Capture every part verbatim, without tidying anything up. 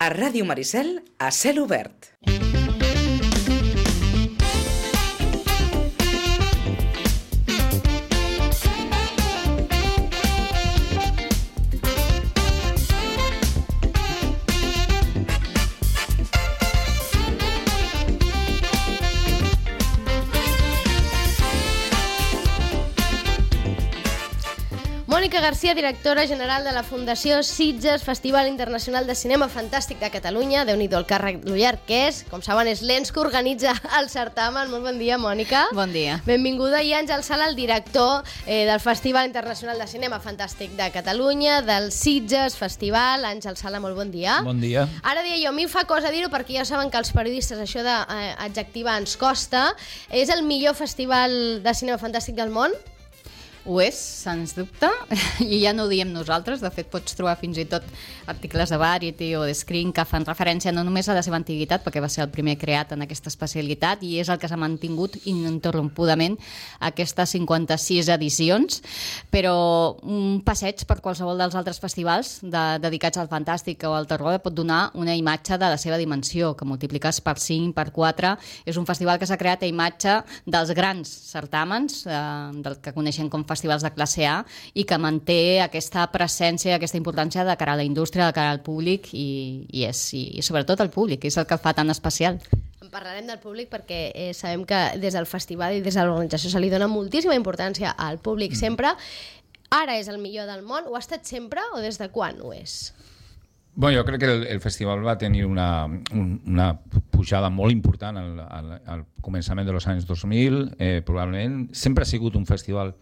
A Ràdio Maricel, a cel obert. Mònica Garcia, directora general de la Fundació Sitges, Festival Internacional de Cinema Fantàstic de Catalunya. Déu-n'hi-do el càrrec llarg que és. Com saben, és l'ens que organitza el certamen. Molt bon dia, Mònica. Bon dia. Benvinguda. I Àngel Sala, el director eh, del Festival Internacional de Cinema Fantàstic de Catalunya, del Sitges Festival. Àngel Sala, molt bon dia. Bon dia. Ara deia jo, a mi em fa cosa dir-ho perquè ja saben que els periodistes això d'adjectivar ens costa. És el millor festival de cinema fantàstic del món? Ho és, sens dubte, i ja no ho diem nosaltres. De fet, pots trobar fins i tot articles de Variety o de Screen que fan referència no només a la seva antiguitat, perquè va ser el primer creat en aquesta especialitat i és el que s'ha mantingut ininterrompudament aquestes cinquanta-sis edicions, però un passeig per qualsevol dels altres festivals de, dedicats al fantàstic o al terror pot donar una imatge de la seva dimensió, que multipliques per cinc, per quatre. És un festival que s'ha creat a imatge dels grans certàmens, eh, del que coneixem com festivals de classe A, i que manté aquesta presència, aquesta importància de cara a la indústria, de cara al públic i, i, és, i sobretot el públic, és el que el fa tan especial. En parlarem del públic perquè eh, sabem que des del festival i des de l'organització se li dona moltíssima importància al públic mm. sempre. Ara és el millor del món, ho ha estat sempre o des de quan ho és? Bueno, jo crec que el, el festival va tenir una, un, una pujada molt important al, al, al començament dels anys dos mil, eh, probablement. Sempre ha sigut un festival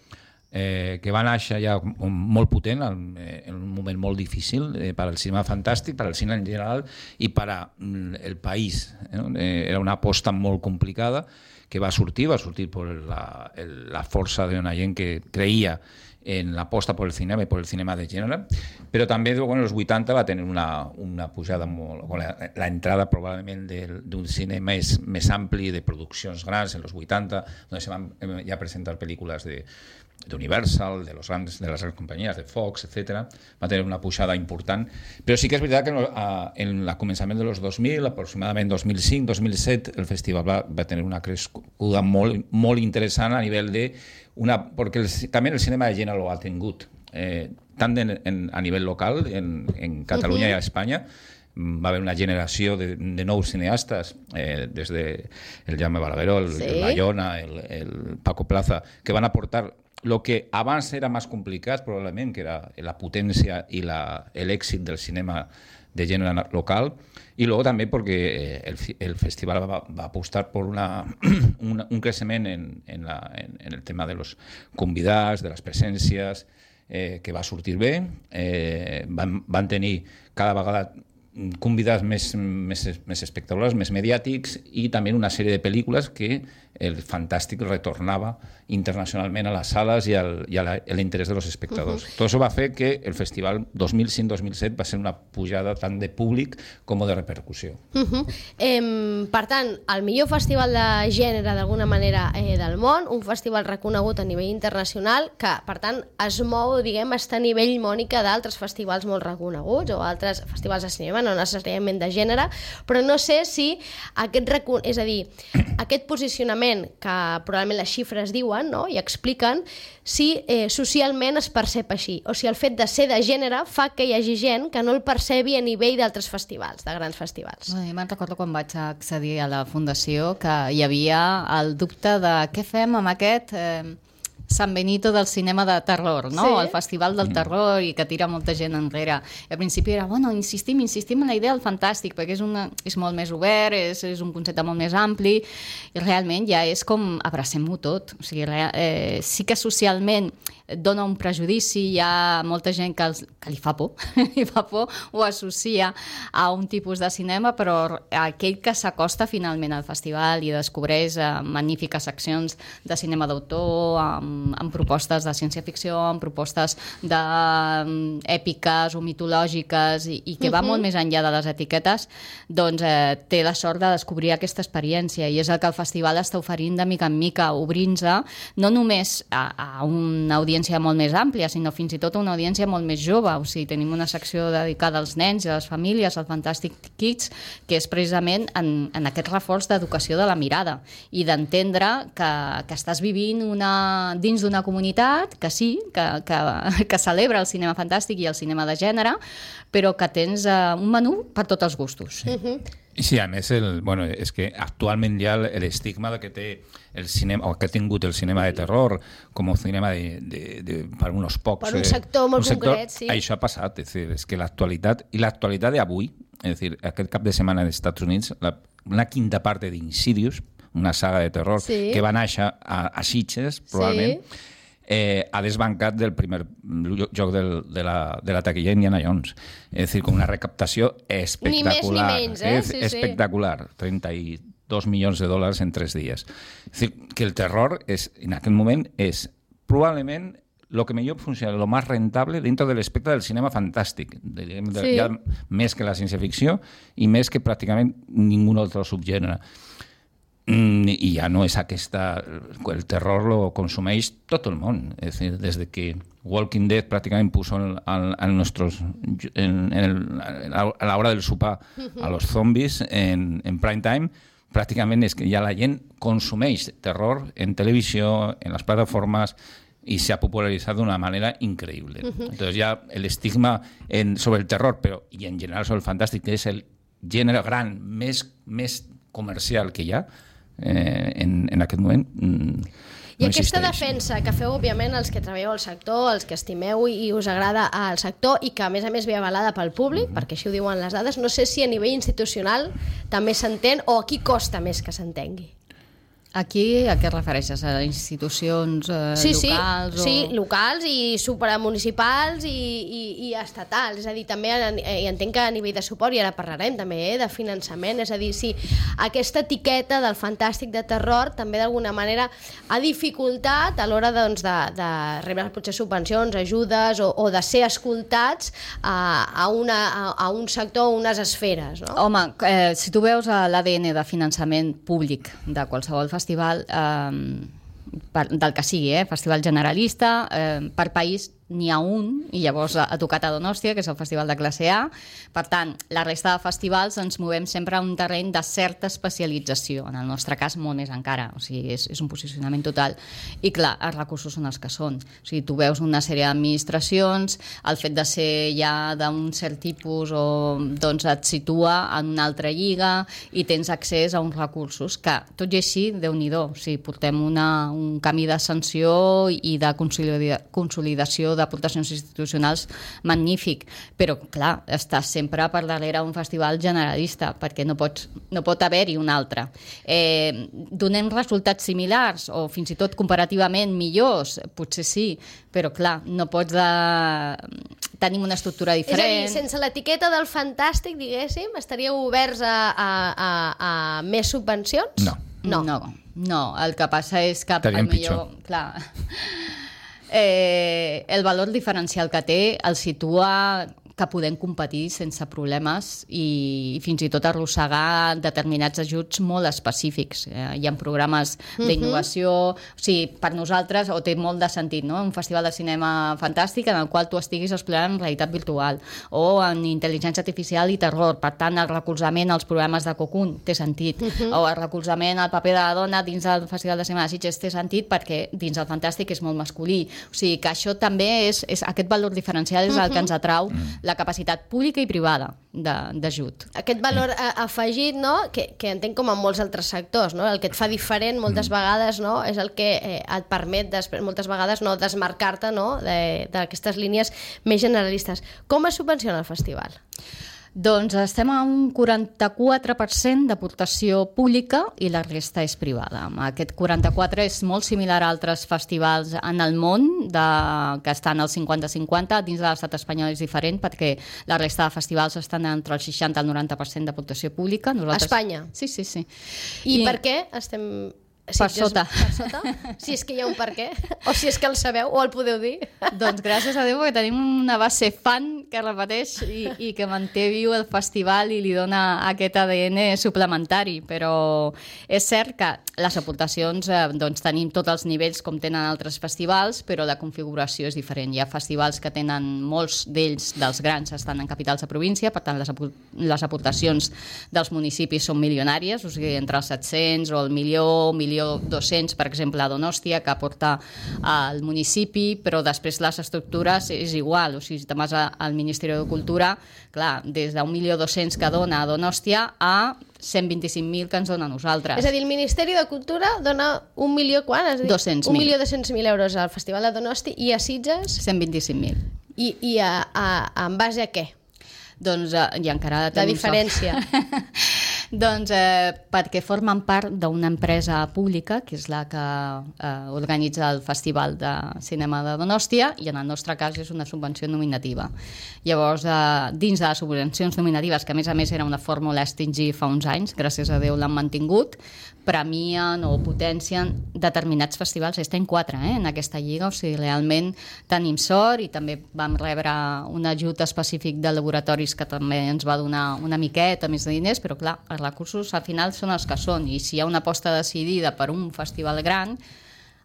Eh, que va néixer ja molt potent en, en un moment molt difícil eh, per al cinema fantàstic, per al cinema en general i per al país. Eh, eh, era una aposta molt complicada que va sortir, va sortir per la, el, la força d'una gent que creia en l'aposta per el cinema i per el cinema de gènere, però també bueno, als vuitanta va tenir una, una pujada molt... L'entrada probablement d'un cinema més, més ampli, de produccions grans, en els vuitanta, on se van ja presentar pel·lícules de d'Universal, de, los grandes, de les grans companyies, de Fox, etcètera. Va tenir una pujada important. Però sí que és veritat que en el començament de los dos mil, aproximadament dos mil cinc dos mil set, el festival va, va tenir una crescuda molt, molt interessant a nivell de... Una, perquè el, també el cinema de gènere ho ha tingut, eh, tant en, en, a nivell local, en, en Catalunya uh-huh. i a Espanya. Va haver una generació de, de nous cineastes, eh, des de el Jaume Balagueró, el, sí. el Bayona, el, el Paco Plaza, que van aportar lo que abans era més complicat, probablement, que era la potència i l'èxit del cinema de gènere local, i luego també perquè el, el festival va, va apostar per una, una, un creixement en, en, la, en, en el tema de los convidats, de les presències, eh, que va sortir bé. Eh, van, van tenir cada vegada convidats més, més, més espectaculars, més mediàtics, i també una sèrie de pel·lícules que el fantàstic retornava internacionalment a les sales i, al, i a l'interès de los espectadors. Uh-huh. Tot això va fer que el festival dos mil cinc dos mil set va ser una pujada tant de públic com de repercussió. Uh-huh. eh, per tant, el millor festival de gènere d'alguna manera eh, del món, un festival reconegut a nivell internacional que, per tant, es mou, diguem, està a nivell, Mònica, d'altres festivals molt reconeguts o altres festivals de cinema, no necessàriament de gènere, però no sé si aquest, recon... és a dir, aquest posicionament que probablement les xifres diuen, no? I expliquen si eh, socialment es percep així, o si el fet de ser de gènere fa que hi hagi gent que no el percebi a nivell d'altres festivals, de grans festivals. Bueno, jo me'n recordo quan vaig accedir a la Fundació que hi havia el dubte de què fem amb aquest... Eh... San Benito del cinema de terror, no? Sí. El festival del terror i que tira molta gent enrere. I al principi era, bueno, insistim, insistim en la idea del fantàstic, perquè és, una, és molt més obert, és, és un concepte molt més ampli, i realment ja és com abracem-ho tot. O sigui, eh, sí que socialment dona un prejudici, hi ha molta gent que, els, que li fa por, li fa por, ho associa a un tipus de cinema, però aquell que s'acosta finalment al festival i descobreix eh, magnífiques seccions de cinema d'autor, amb amb, amb propostes de ciència-ficció, amb propostes de um, èpiques o mitològiques i, i que va uh-huh. molt més enllà de les etiquetes, doncs eh, té la sort de descobrir aquesta experiència i és el que el festival està oferint de mica en mica, obrint-se no només a, a una audiència molt més àmplia, sinó fins i tot a una audiència molt més jove. O sigui, tenim una secció dedicada als nens i a les famílies, al Fantastic Kids, que és precisament en, en aquest reforç d'educació de la mirada i d'entendre que, que estàs vivint una, dins d'una comunitat que sí, que, que, que celebra el cinema fantàstic i el cinema de gènere, però que tens uh, un menú per tots els gustos. Sí. Uh-huh. Sí, a més, el, bueno, és que actualment hi ha l'estigma que té el cinema, o que ha tingut el cinema de terror com un cinema de, de, de, per uns pocs. Per un sector molt un sector, concret, sí. Això ha passat, és, dir, és que l'actualitat, i l'actualitat d'avui, és dir, aquest cap de setmana als Estats Units, la, una quinta part d'Insidious, una saga de terror sí. que va néixer a, a Sitges, probablement, sí. Eh, ha desbancat del primer joc del, de, la, de la taquilla Indiana Jones. És dir, com una recaptació espectacular. Ni més ni menys, eh? És sí, espectacular. Sí. trenta-dos milions de dòlars en tres dies. És dir, que el terror és, en aquest moment és probablement lo que millor funciona, lo más rentable dentro del espectre del cinema fantàstic. De, de, sí. Ja més que la ciència-ficció i més que pràcticament ningú altre subgènere. Mm, i ja no és aquesta... El terror lo consumeix tot el món. És dir, des de que Walking Dead pràcticament puso en, en, en, nuestros, en, en, el, a la hora del sopar a los zombies en, en prime time, pràcticament és que ja la gent consumeix terror en televisió, en les plataformes, i s'ha popularitzat d'una manera increïble. Uh-huh. Entonces ja l'estigma en, sobre el terror, però i en general sobre el fantàstic, que és el gènere gran més, més comercial que hi ha, Eh, en, en aquest moment mm, i no aquesta existeix. defensa que feu, òbviament, els que treballeu al sector, els que estimeu i us agrada al sector i que, a més a més, ve avalada pel públic, mm-hmm. perquè així ho diuen les dades, no sé si a nivell institucional també s'entén o aquí costa més que s'entengui. Aquí a què refereixes? A institucions eh, sí, locals? Sí, o... sí, locals i supramunicipals i, i, i estatals. És a dir, també i entenc que a nivell de suport, i ara parlarem també eh, de finançament, és a dir, si aquesta etiqueta del fantàstic de terror també d'alguna manera ha dificultat a l'hora doncs, de, de rebre potser subvencions, ajudes o, o de ser escoltats a, a, una, a, a un sector o unes esferes. No? Home, eh, si tu veus l'A D N de finançament públic de qualsevol festival, festival eh, per, del que sigui, eh, festival generalista, eh, per país n'hi ha un, i llavors ha tocat a Donòstia, que és el festival de classe A. Per tant, la resta de festivals ens movem sempre a un terreny de certa especialització, en el nostre cas molt més encara, o sigui, és, és un posicionament total. I clar, els recursos són els que són. O sigui, tu veus una sèrie d'administracions, el fet de ser ja d'un cert tipus o doncs et situa en una altra lliga i tens accés a uns recursos que, tot i així, Déu-n'hi-do, o sigui, portem una, un camí d'ascensió i de consolidació d'aportacions institucionals magnífic, però clar, estàs sempre per darrere un festival generalista, perquè no, pots, no pot haver-hi un altre. Eh, donem resultats similars o fins i tot comparativament millors, potser sí, però clar, no pots de... tenim una estructura diferent. És a dir, sense l'etiqueta del fantàstic, diguéssim, estaríeu oberts a, a, a, a més subvencions? No. No. no. No, el que passa és que... Estaríem millor, pitjor. Clar... Eh, el valor diferencial que té el situa que podem competir sense problemes i, i fins i tot arrossegar determinats ajuts molt específics. Eh, hi ha programes d'innovació, uh-huh. o sigui, per nosaltres, o té molt de sentit, no? Un festival de cinema fantàstic en el qual tu estiguis explorant en realitat virtual o en intel·ligència artificial i terror. Per tant, el recolzament als programes de Cocoon té sentit, uh-huh. o el recolzament al paper de la dona dins del Festival de Cinema de Sitges té sentit perquè dins el fantàstic és molt masculí. O sigui, que això també és, és aquest valor diferencial és el que ens atrau, uh-huh. la capacitat pública i privada d'ajut. Aquest valor afegit, no? que, que entenc com en molts altres sectors, no? El que et fa diferent moltes vegades, no? És el que eh, et permet després, moltes vegades no desmarcar-te, no? d'aquestes línies més generalistes. Com es subvenciona el festival? Doncs estem a un quaranta-quatre per cent d'aportació pública i la resta és privada. Aquest quaranta-quatre és molt similar a altres festivals en el món de, que estan al cinquanta cinquanta. Dins de l'estat espanyol és diferent perquè la resta de festivals estan entre el seixanta i el noranta per cent d'aportació pública. Nosaltres... Espanya? Sí, sí, sí. I, I per què estem... Per sota. Per sota? Si és que hi ha un per què, o si és que el sabeu, o el podeu dir. Doncs gràcies a Déu, perquè tenim una base fan que repeteix i, i que manté viu el festival i li dona aquest A D N suplementari, però és cert que les aportacions, eh, doncs tenim tots els nivells com tenen altres festivals, però la configuració és diferent. Hi ha festivals que tenen, molts d'ells, dels grans, estan en capitals de província, per tant les, apor les aportacions dels municipis són milionàries, o sigui, entre els set-cents o el milió, milió dos-cents, per exemple, a Donòstia, que aporta al municipi, però després les estructures és igual, o sigui, si te'n vas al Ministeri de Cultura, clar, des d'un milió dos-cents que dona a Donòstia a cent vint-i-cinc mil que ens dona a nosaltres. És a dir, el Ministeri de Cultura dona un milió, quan? Has dit? dos-cents mil. Un milió dos-cents mil euros al Festival de Donosti i a Sitges? cent vint-i-cinc mil. I, i a, a, en base a què? Doncs, eh, i encara... La diferència. Doncs eh, perquè formen part d'una empresa pública, que és la que eh, organitza el Festival de Cinema de Donòstia, i en el nostre cas és una subvenció nominativa. Llavors, eh, dins de les subvencions nominatives, que a més a més era una fórmula a extingir fa uns anys, gràcies a Déu l'han mantingut, premien o potencien determinats festivals. Estem quatre eh, en aquesta lliga, o sigui, realment tenim sort i també vam rebre un ajut específic de laboratoris que també ens va donar una miqueta més de diners, però clar, els recursos al final són els que són, i si hi ha una aposta decidida per un festival gran,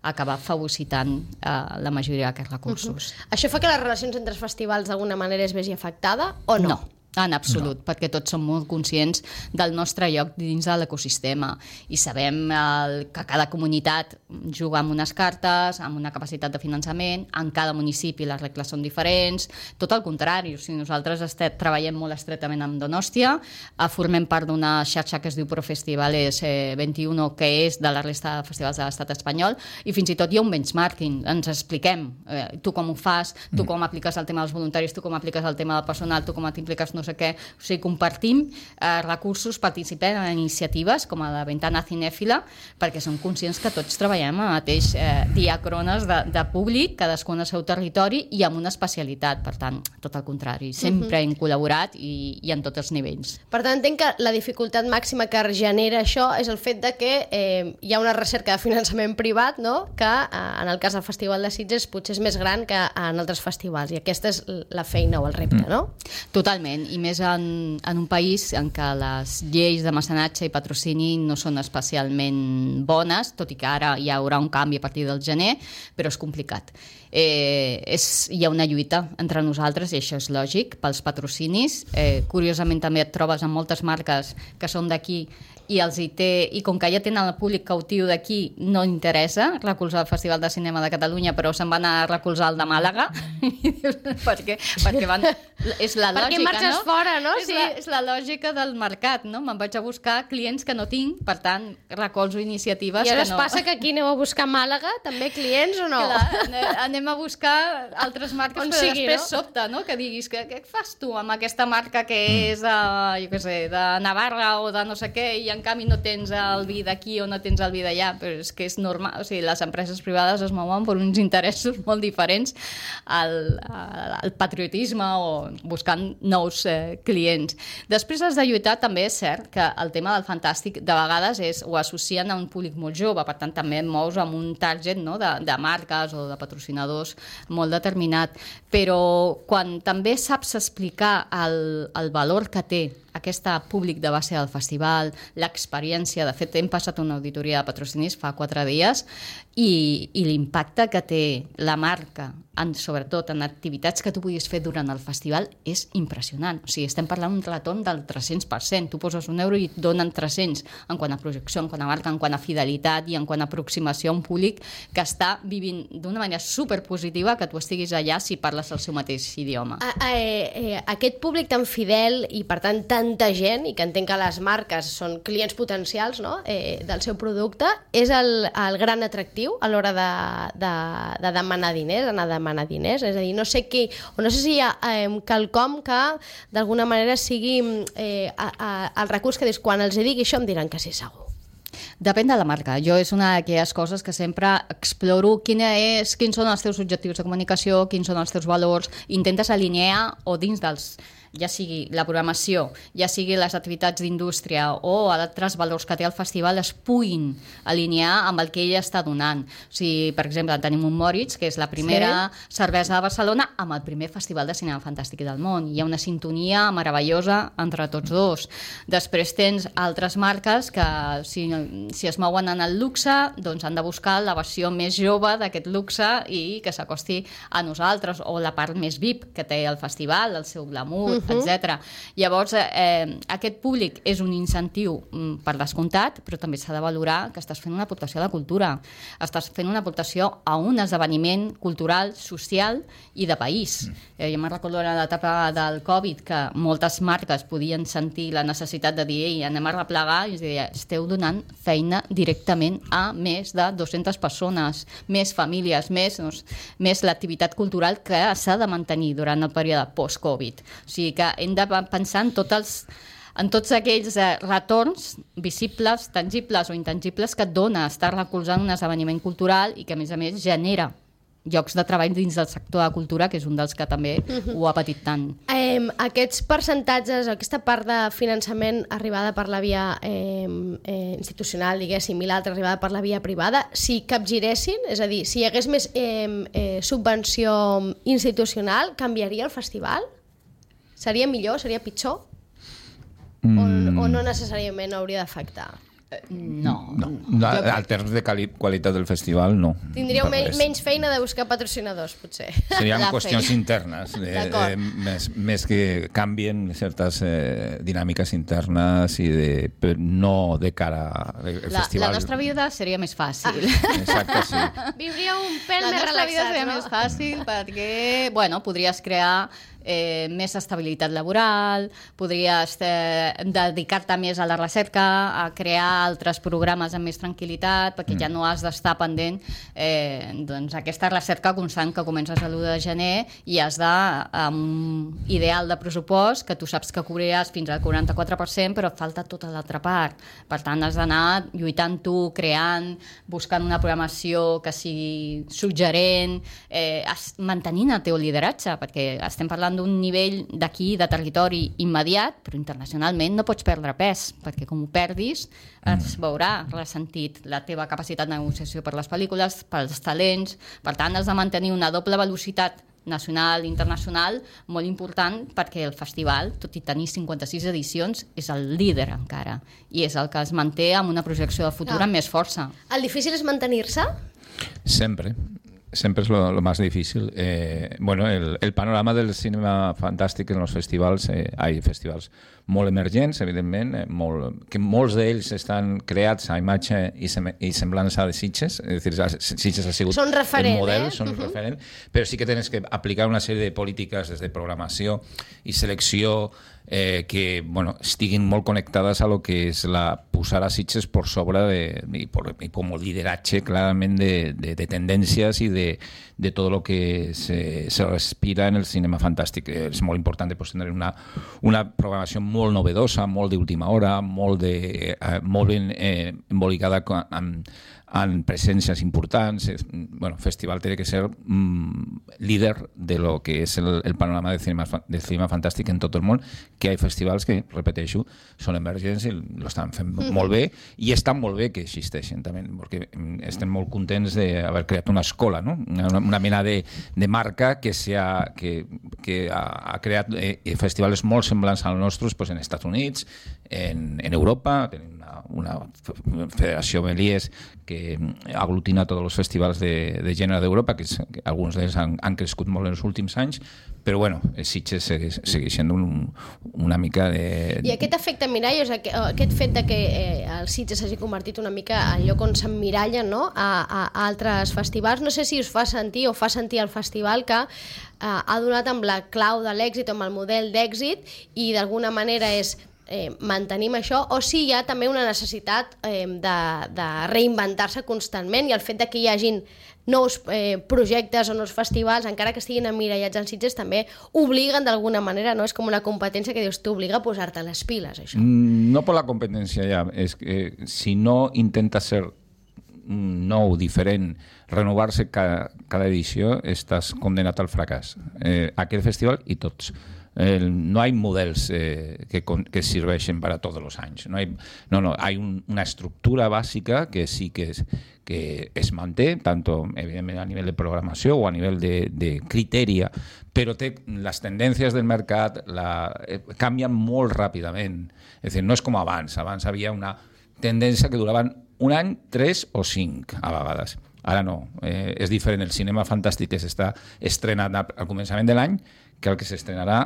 acabar fagocitant eh, la majoria d'aquests recursos. Uh-huh. Això fa que les relacions entre els festivals d'alguna manera es vegi afectada o no? No. En absolut, no. Perquè tots som molt conscients del nostre lloc dins de l'ecosistema i sabem el, que cada comunitat juga amb unes cartes, amb una capacitat de finançament, en cada municipi les regles són diferents, tot el contrari, o sigui, nosaltres estem, treballem molt estretament amb Donòstia, eh, formem part d'una xarxa que es diu Profestivales eh, vint-i-u, que és de la resta de festivals de l'estat espanyol, i fins i tot hi ha un benchmarking, ens expliquem, eh, tu com ho fas, tu com apliques el tema dels voluntaris, tu com apliques el tema del personal, tu com t'impliques no sé què, o sigui, compartim eh, recursos, participem en iniciatives com a la Ventana Cinèfila, perquè som conscients que tots treballem a mateix eh, diacrones de, de públic, cadascun al seu territori i amb una especialitat, per tant, tot el contrari, sempre uh-huh. hem col·laborat i, i en tots els nivells. Per tant, entenc que la dificultat màxima que genera això és el fet de que eh, hi ha una recerca de finançament privat, no?, que eh, en el cas del Festival de Sitges potser és més gran que en altres festivals, i aquesta és la feina o el repte, no? Totalment, i més en, en un país en què les lleis de mecenatge i patrocini no són especialment bones, tot i que ara hi haurà un canvi a partir del gener, però és complicat. Eh, és, hi ha una lluita entre nosaltres i això és lògic pels patrocinis. Eh, curiosament també et trobes amb moltes marques que són d'aquí i els hi té, i com que ja tenen el públic cautiu d'aquí, no interessa recolzar el Festival de Cinema de Catalunya, però se'n van a recolzar el de Màlaga perquè, perquè van, és la lògica, perquè marxes no? fora, no? És, Sí. la, és la lògica del mercat, no? Me'n vaig a buscar clients que no tinc, per tant recolzo iniciatives I ara que es no... passa que aquí aneu a buscar a Màlaga també clients o no? Clar, anem a buscar altres marques, On però sigui, després no? sobta, no? Que diguis, què, què fas tu amb aquesta marca que és de, jo què sé, de Navarra o de no sé què, i en canvi no tens el vi d'aquí o no tens el vi d'allà, però és que és normal, o sigui, les empreses privades es mouen per uns interessos molt diferents al, al patriotisme o buscant nous eh, clients. Després has de lluitar, també és cert que el tema del fantàstic de vegades és, ho associen a un públic molt jove, per tant també et mous amb un target, no?, de, de marques o de patrocinadors molt determinat, però quan també saps explicar el, el valor que té aquest públic de base del festival, l'experiència, de fet hem passat una auditoria de patrocinis fa quatre dies i, i l'impacte que té la marca, en, sobretot en activitats que tu puguis fer durant el festival, és impressionant. O sigui, estem parlant d'un retorn del tres-cents per cent. Tu poses un euro i et donen tres-cents en quant a projecció, en quant a marca, en quant a fidelitat i en quant a aproximació a un públic que està vivint d'una manera superpositiva que tu estiguis allà si parles el seu mateix idioma. A, a, eh, aquest públic tan fidel i per tant tanta gent, i que entenc que les marques són clients potencials, no?, eh, del seu producte, és el, el gran atractiu a l'hora de, de, de demanar diners, anar a demanar diners, és a dir, no sé qui, o no sé si hi ha eh, quelcom que d'alguna manera sigui eh, a, a, el recurs que dius, quan els digui això em diran que sí, segur. Depèn de la marca. Jo és una d'aquelles coses que sempre exploro quina és, quins són els teus objectius de comunicació, quins són els teus valors, intentes alinear o dins dels ja sigui la programació, ja sigui les activitats d'indústria o altres valors que té el festival, es puguin alinear amb el que ell està donant. O sigui, per exemple, tenim un Moritz, que és la primera sí. cervesa de Barcelona amb el primer festival de cinema fantàstic del món. Hi ha una sintonia meravellosa entre tots dos. Després tens altres marques que, si, si es mouen en el luxe, doncs han de buscar la versió més jove d'aquest luxe i que s'acosti a nosaltres, o la part més V I P que té el festival, el seu glamour, uh-huh. etcètera. Llavors, eh, aquest públic és un incentiu mm, per descomptat, però també s'ha de valorar que estàs fent una aportació a la cultura, estàs fent una aportació a un esdeveniment cultural, social i de país. Mm. Eh, jo me'n recordo en l'etapa del Covid que moltes marques podien sentir la necessitat de dir ei, anem a replegar, i es deia, esteu donant feina directament a més de dues-centes persones, més famílies, més, doncs, més l'activitat cultural que s'ha de mantenir durant el període post-Covid. O sigui que hem de pensar en tots els en tots aquells eh, retorns visibles, tangibles o intangibles que et dona estar recolzant un esdeveniment cultural i que, a més a més, genera llocs de treball dins del sector de la cultura, que és un dels que també uh-huh. ho ha patit tant. Eh, aquests percentatges, aquesta part de finançament arribada per la via eh, eh, institucional, diguéssim, i l'altra arribada per la via privada, si capgiressin, és a dir, si hi hagués més eh, eh, subvenció institucional, canviaria el festival? Seria millor? Seria pitjor? Mm. O, o no necessàriament hauria d'afectar? No. no. no al termes de quali qualitat del festival, no. Tindríeu me menys feina de buscar patrocinadors, potser. Serien qüestions feina. internes, de, de, més, més que canvien certes eh, dinàmiques internes i de, no de cara al festival. La nostra vida seria més fàcil. Ah. Exacte, sí. Viuria un pèl la més relaxat, vida seria no? més fàcil perquè, bueno, podries crear Eh, més estabilitat laboral, podries eh, dedicar-te més a la recerca, a crear altres programes amb més tranquil·litat, perquè mm. ja no has d'estar pendent eh, doncs aquesta recerca constant que comences a l'u de gener i has de, amb un ideal de pressupost que tu saps que cobriràs fins al quaranta-quatre per cent, però et falta tota l'altra part. Per tant, has d'anar lluitant tu, creant, buscant una programació que sigui suggerent, eh, mantenint el teu lideratge, perquè estem parlant d'un nivell d'aquí, de territori immediat, però internacionalment no pots perdre pes, perquè com ho perdis es veurà ressentit la teva capacitat de negociació per les pel·lícules, pels talents. Per tant, has de mantenir una doble velocitat nacional i internacional molt important, perquè el festival, tot i tenir cinquanta-sis edicions, és el líder encara, i és el que es manté amb una projecció de futur ah. amb més força. El difícil és mantenir-se? Sempre. Siempre es lo, lo más difícil. Eh, bueno, el, el panorama del cinema fantàstic en els festivals, eh, hi ha festivals molt emergents, evidentment, eh, molt, que molts d'ells estan creats a imatge i, sem i semblança de Sitges, és a dir, Sitges ha sigut són referent, el model, eh? són uh-huh. referent, però sí que tens que aplicar una sèrie de polítiques des de programació i selecció eh, que bueno, estiguin molt connectades a lo que és la posar a Sitges per sobre de, i, por, i com el lideratge clarament de, de, de tendències i de, de tot el que se, se respira en el cinema fantàstic. És molt important pues, tenir una, una programació molt novedosa, molt d'última hora, molt, de, eh, molt ben eh, embolicada amb en presències importants. Bueno, el festival té que ser mm, líder de lo que és el, el panorama de cinema, de cinema fantàstic en tot el món, que hi ha festivals que, repeteixo, són emergents i l'estan fent mm. molt bé, i estan molt bé que existeixen també, perquè estem molt contents d'haver creat una escola, no? una, una mena de, de marca que, ha, que, que ha, ha creat eh, festivals molt semblants als nostres pues, en Estats Units, en, en Europa. Tenim una, una federació Méliès que aglutina tots els festivals de, de gènere d'Europa, que, que alguns d'ells han, han crescut molt en els últims anys, però bueno, Sitges segueix, segueix sent un, una mica de... I aquest efecte mirall, o sigui, aquest fet de que eh, el Sitges s'hagi convertit una mica en lloc on s'emmiralla, no? a, a, a altres festivals, no sé si us fa sentir o fa sentir el festival que eh, ha donat amb la clau de l'èxit o amb el model d'èxit i d'alguna manera és Eh, mantenim això, o si hi ha també una necessitat eh, de, de reinventar-se constantment, i el fet de que hi hagin nous eh, projectes o nous festivals, encara que estiguin emmirallats als Sitges, també obliguen d'alguna manera, no? És com una competència que dius, t'obliga a posar-te les piles, això. No per la competència ja, és que si no intenta ser nou, diferent, renovar-se cada, cada edició, estàs condenat al fracàs. Eh, aquest festival i tots. Eh, no hay modelos eh, que, que sirven para todos los años. No hay, no, no, hay un, una estructura básica que sí que es, que es manté, tanto evidentemente a nivel de programació o a nivell de, de criteri, però té, les tendències del mercat la, eh, canvien molt ràpidament. És a dir, no és com abans. Abans havia una tendència que duraven un any, tres o cinc, a vegades. Ara no. Eh, és diferent el cinema fantàstic que s'està estrenant al començament de l'any que el que s'estrenarà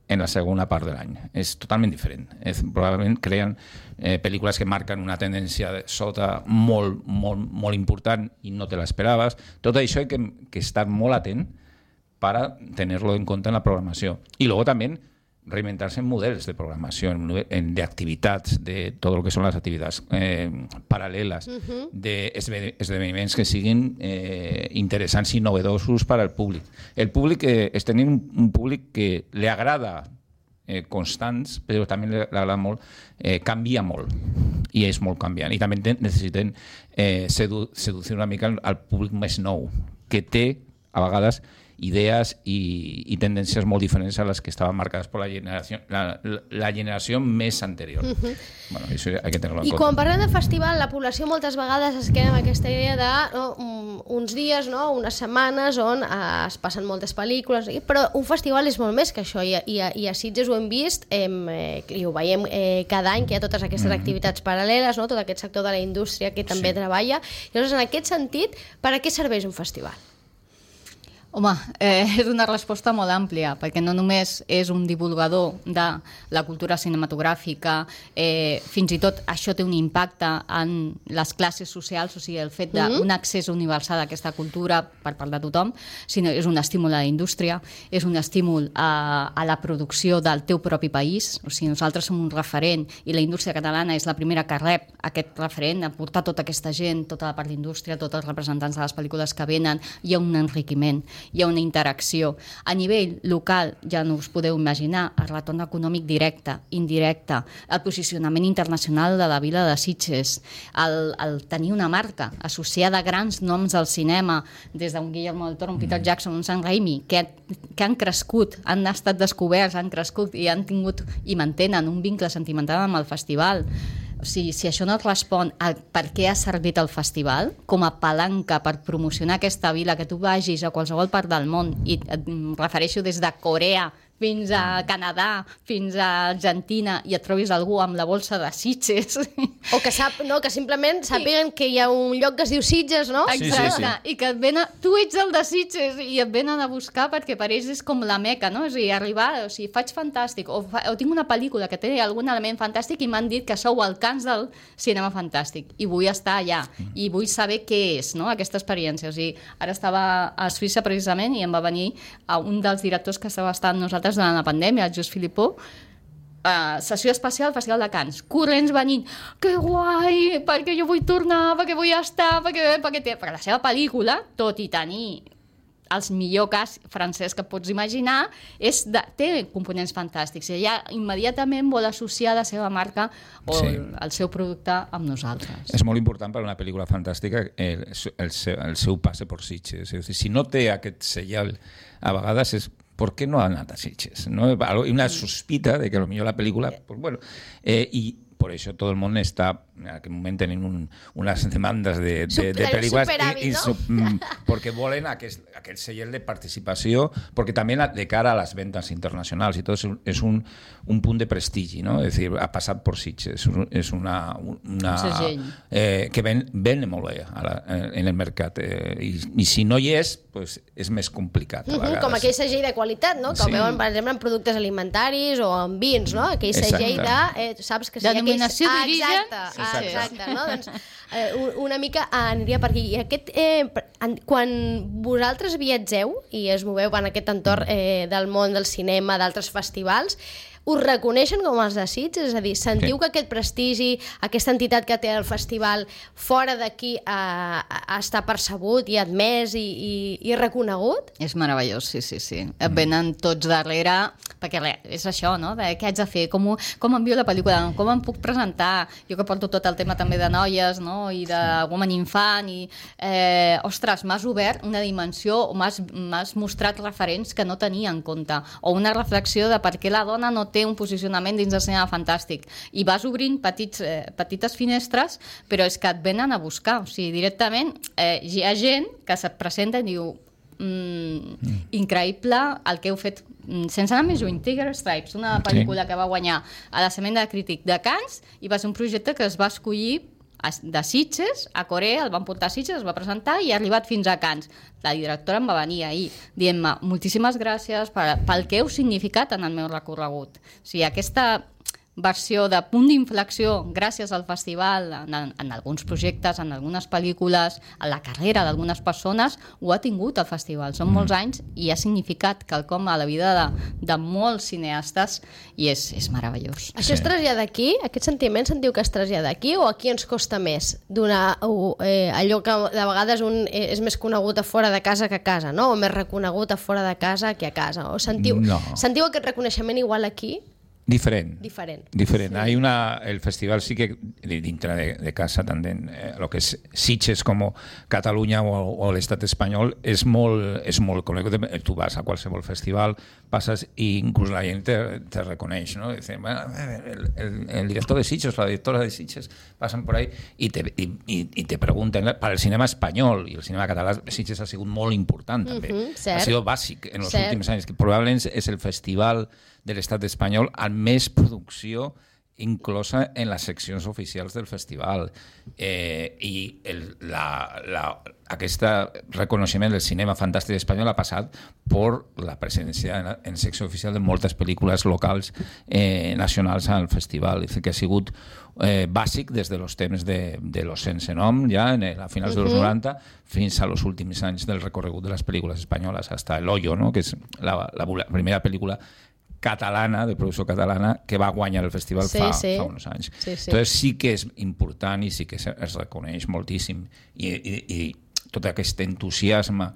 en la segona part de l'any. És totalment diferent. És, probablement creen eh, pel·lícules que marquen una tendència de sota molt, molt, molt important i no te l'esperaves. Tot això hay que, que estar molt atent para tenerlo en cuenta en la programació. I luego también reinventarse en models de programació, en, en, de activitats, de tot el que són les activitats eh, paral·leles, uh-huh. d'esdeveniments que siguin eh, interessants i novedosos per al públic. El públic eh, és tenir un, un públic que li agrada eh, constants, però també li agrada molt, eh, canvia molt, i és molt canviant. I també necessiten eh, sedu seducir una mica al, al públic més nou, que té, a vegades, idees i, i tendències molt diferents a les que estaven marcades per la generació, la, la generació més anterior. Uh-huh. Bueno, això hay que tenerlo en I compte. quan parlem de festival, la població moltes vegades es queda amb aquesta idea de no, uns dies, no, unes setmanes on eh, es passen moltes pel·lícules, però un festival és molt més que això, i, i, i a Sitges ho hem vist, hem, eh, i ho veiem eh, cada any, que hi ha totes aquestes mm-hmm. activitats paral·leles, no, tot aquest sector de la indústria que també sí. treballa. Llavors, en aquest sentit, per a què serveix un festival? Home, eh, és una resposta molt àmplia, perquè no només és un divulgador de la cultura cinematogràfica, eh, fins i tot això té un impacte en les classes socials, o sigui, el fet d'un mm-hmm. accés universal a aquesta cultura per part de tothom, sinó és un estímul a la indústria, és un estímul a, a la producció del teu propi país, o sigui, nosaltres som un referent i la indústria catalana és la primera que rep aquest referent, a portar tota aquesta gent, tota la part d'indústria, tots els representants de les pel·lícules que venen, hi ha un enriquiment, hi ha una interacció. A nivell local, ja no us podeu imaginar, el retorn econòmic directe, indirecte, el posicionament internacional de la vila de Sitges, el, el tenir una marca associada a grans noms del cinema, des d'un Guillermo del Toro, un Peter Jackson, un Sam Raimi, que, que han crescut, han estat descoberts, han crescut i han tingut i mantenen un vincle sentimental amb el festival. O sigui, si això no et respon a per què ha servit el festival com a palanca per promocionar aquesta vila, que tu vagis a qualsevol part del món, i et refereixo des de Corea fins a Canadà, fins a Argentina, i et trobis algú amb la bolsa de Sitges. O que, sap, no, que simplement sàpiguen que hi ha un lloc que es diu Sitges, no? Exacte, sí, sí, sí. I que et venen, tu ets el de Sitges, i et venen a buscar perquè per ells és com la meca, no? O sigui, arribar, o sigui, faig fantàstic, o, fa, o tinc una pel·lícula que té algun element fantàstic i m'han dit que sou el cans del cinema fantàstic, i vull estar allà, i vull saber què és, no?, aquesta experiència. O sigui, ara estava a Suïssa precisament i em va venir a un dels directors que estava estant nosaltres durant la pandèmia, el Just Philippot, uh, sessió especial al Festival de Cannes, corrents venint, que guai, perquè jo vull tornar, perquè vull estar, perquè, perquè, té... perquè la seva pel·lícula, tot i tenir els millor cas francès que pots imaginar, és de, té components fantàstics, i ella immediatament vol associar la seva marca o sí. el, el seu producte amb nosaltres. És molt important per a una pel·lícula fantàstica el, el, seu, el seu passe per Sitges. És a dir, si no té aquest senyal, a vegades és ¿por qué no ha anat a Sitges? ¿No? Hay una sospita de que a lo mejor la película, pues bueno, eh, y por eso todo el mundo está, en aquel momento tienen un, unas demandas de, de, de películas y, y ¿no? su, porque volen aquel, aquel sello de participació, porque también de cara a las ventas internacionales y todo eso es un, un punt de prestigi, ¿no? Es decir, ha passat per Sitges, és una, una eh, que ven, ven molt bé a la, en el mercat, eh, i, i si no hi és, pues és més complicat a vegades. Com aquell segell de qualitat, no? Que sí. veuen, per exemple, en productes alimentaris o en vins, no? Aquell segell de, eh, saps que si denominació aquells... d'origen. Ah, exacte, exacte, no? Doncs eh, una mica aniria per aquí. I aquest, eh, quan vosaltres viatgeu i es moveu en aquest entorn eh, del món del cinema, d'altres festivals, us reconeixen com els de Sitges? És a dir, sentiu Sí. que aquest prestigi, aquesta entitat que té el festival fora d'aquí eh, està percebut i admès i, i, i reconegut? És meravellós, sí, sí, sí. Et venen tots darrere, perquè res, és això, no? De què haig de fer, com, ho, com envio la pel·lícula, com em puc presentar, jo que porto tot el tema també de noies, no? I de woman infant, i eh, ostres, m'has obert una dimensió, m'has mostrat referents que no tenia en compte, o una reflexió de per què la dona no té un posicionament dins del cinema fantàstic, i vas obrint petits, eh, petites finestres, però és que et venen a buscar, o sigui, directament eh, hi ha gent que se't presenta i diu mm, mm. increïble el que heu fet, sense anar més lluny, Tiger Stripes, una pel·lícula sí. que va guanyar a la Setmana de Crític de Cannes, i va ser un projecte que es va escollir de Sitges a Corea, el van portar a Sitges, es va presentar i ha arribat fins a Cannes. La directora em va venir ahir dient-me moltíssimes gràcies per, pel que heu significat en el meu recorregut. O sigui, aquesta versió de punt d'inflexió gràcies al festival, en, en alguns projectes, en algunes pel·lícules, en la carrera d'algunes persones, ho ha tingut el festival. Són molts anys i ha significat quelcom a la vida de, de molts cineastes i és, és meravellós. Això es trasllada aquí? Aquest sentiment sentiu que es trasllada aquí o aquí ens costa més donar eh, allò que de vegades un eh, és més conegut a fora de casa que a casa, no? O més reconegut a fora de casa que a casa? O sentiu, no. sentiu aquest reconeixement igual aquí? Diferent. Diferent. Diferent. Sí. Hay una, el festival sí que dintre de, de casa también, eh, lo que es Sitges como Cataluña o, o l'estat espanyol és molt, és molt conegut. Tu vas a qualsevol festival, passes i inclús la gent te, te reconeix, ¿no? Dicen, bueno, el, el, el director de Sitges, la directora de Sitges, pasan por ahí y te, y, y te pregunten, para el cinema espanyol i el cinema català, Sitges ha sigut molt important també. Uh-huh, ha sigut bàsic en els cert. últims anys, que probablement és el festival de l'estat espanyol amb més producció inclosa en les seccions oficials del festival. Eh, I el, la, la, aquest reconeixement del cinema fantàstic espanyol ha passat per la presència en, en secció oficial de moltes pel·lícules locals eh, nacionals al festival. És que ha sigut eh, bàsic des de los temps de, de los sense nom, ja en el, a finals uh-huh. dels noranta, fins a los últims anys del recorregut de les pel·lícules espanyoles, hasta El Hoyo, no? Que és la, la, la primera pel·lícula catalana, de producció catalana, que va guanyar el festival sí, fa, sí. fa uns anys. Sí, sí. Entonces sí que és important i sí que es reconeix moltíssim. I, i, i tot aquest entusiasme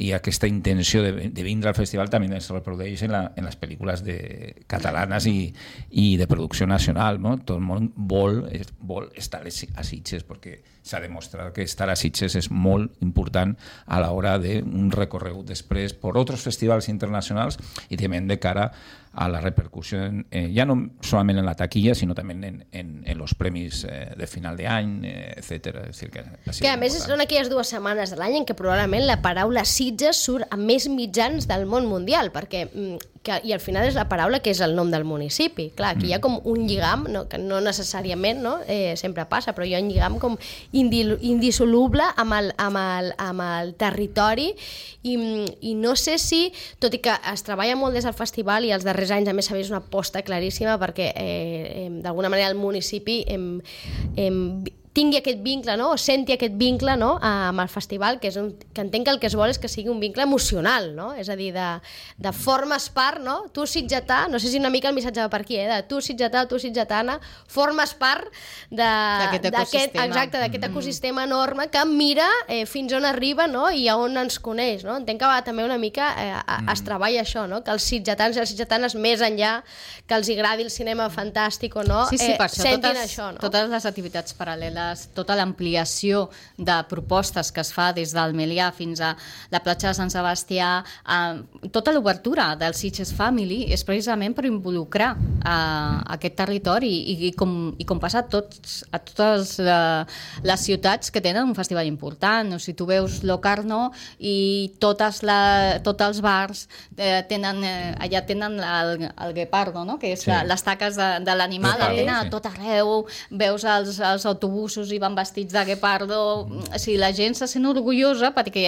i aquesta intenció de, de vindre al festival també es reprodueix en, la, en les pel·lícules de, catalanes i, i de producció nacional, no? Tot el món vol, vol estar a Sitges perquè s'ha demostrat que estar a Sitges és molt important a l'hora d'un recorregut després per altres festivals internacionals i també de cara a la repercussió, en, eh, ja no solament en la taquilla, sinó també en, en, en los premis eh, de final d'any, eh, etcètera. És dir, que, que a més són aquelles dues setmanes de l'any en què probablement la paraula Sitges surt a més mitjans del món mundial, perquè que, i al final és la paraula que és el nom del municipi. Clar, aquí mm. hi ha com un lligam, no, que no necessàriament no, eh, sempre passa, però hi ha un lligam com indil, indissoluble amb el, amb, el, amb el territori i, i no sé si, tot i que es treballa molt des del festival i els darrers anys a més s'ha vist una aposta claríssima perquè eh, eh, d'alguna manera el municipi hem, hem tingui aquest vincle, no? O senti aquest vincle, no? amb el festival, que, és un, que entenc que el que es vol és que sigui un vincle emocional, no? És a dir, de, de formes part, no? Tu sitgetà, no sé si una mica el missatge va per aquí, eh? De tu sitgetà, tu sitgetana, formes part d'aquest ecosistema, exacte, d'aquest mm. ecosistema enorme que mira eh, fins on arriba, no? I a on ens coneix, no? Entenc que va també una mica eh, a, mm. es treballa això, no? Que els sitgetans i les sitgetanes, més enllà que els agradi el cinema fantàstic o no, sí, sí, eh, per això, sentin totes, això, no? Totes les activitats paral·leles, tota l'ampliació de propostes que es fa des del Melià fins a la platja de Sant Sebastià, eh, tota l'obertura del Sitges Family és precisament per involucrar eh, aquest territori i, i, com, i com passa a, tots, a totes eh, les ciutats que tenen un festival important. O sigui, tu veus Locarno i totes la, tots els bars eh, tenen, eh, allà tenen el, el guepardo, no? Que és sí. la, les taques de, de l'animal, la tenen a tot arreu, veus els, els autobusos i van vestits de guepardo, o sigui, la gent se sent orgullosa perquè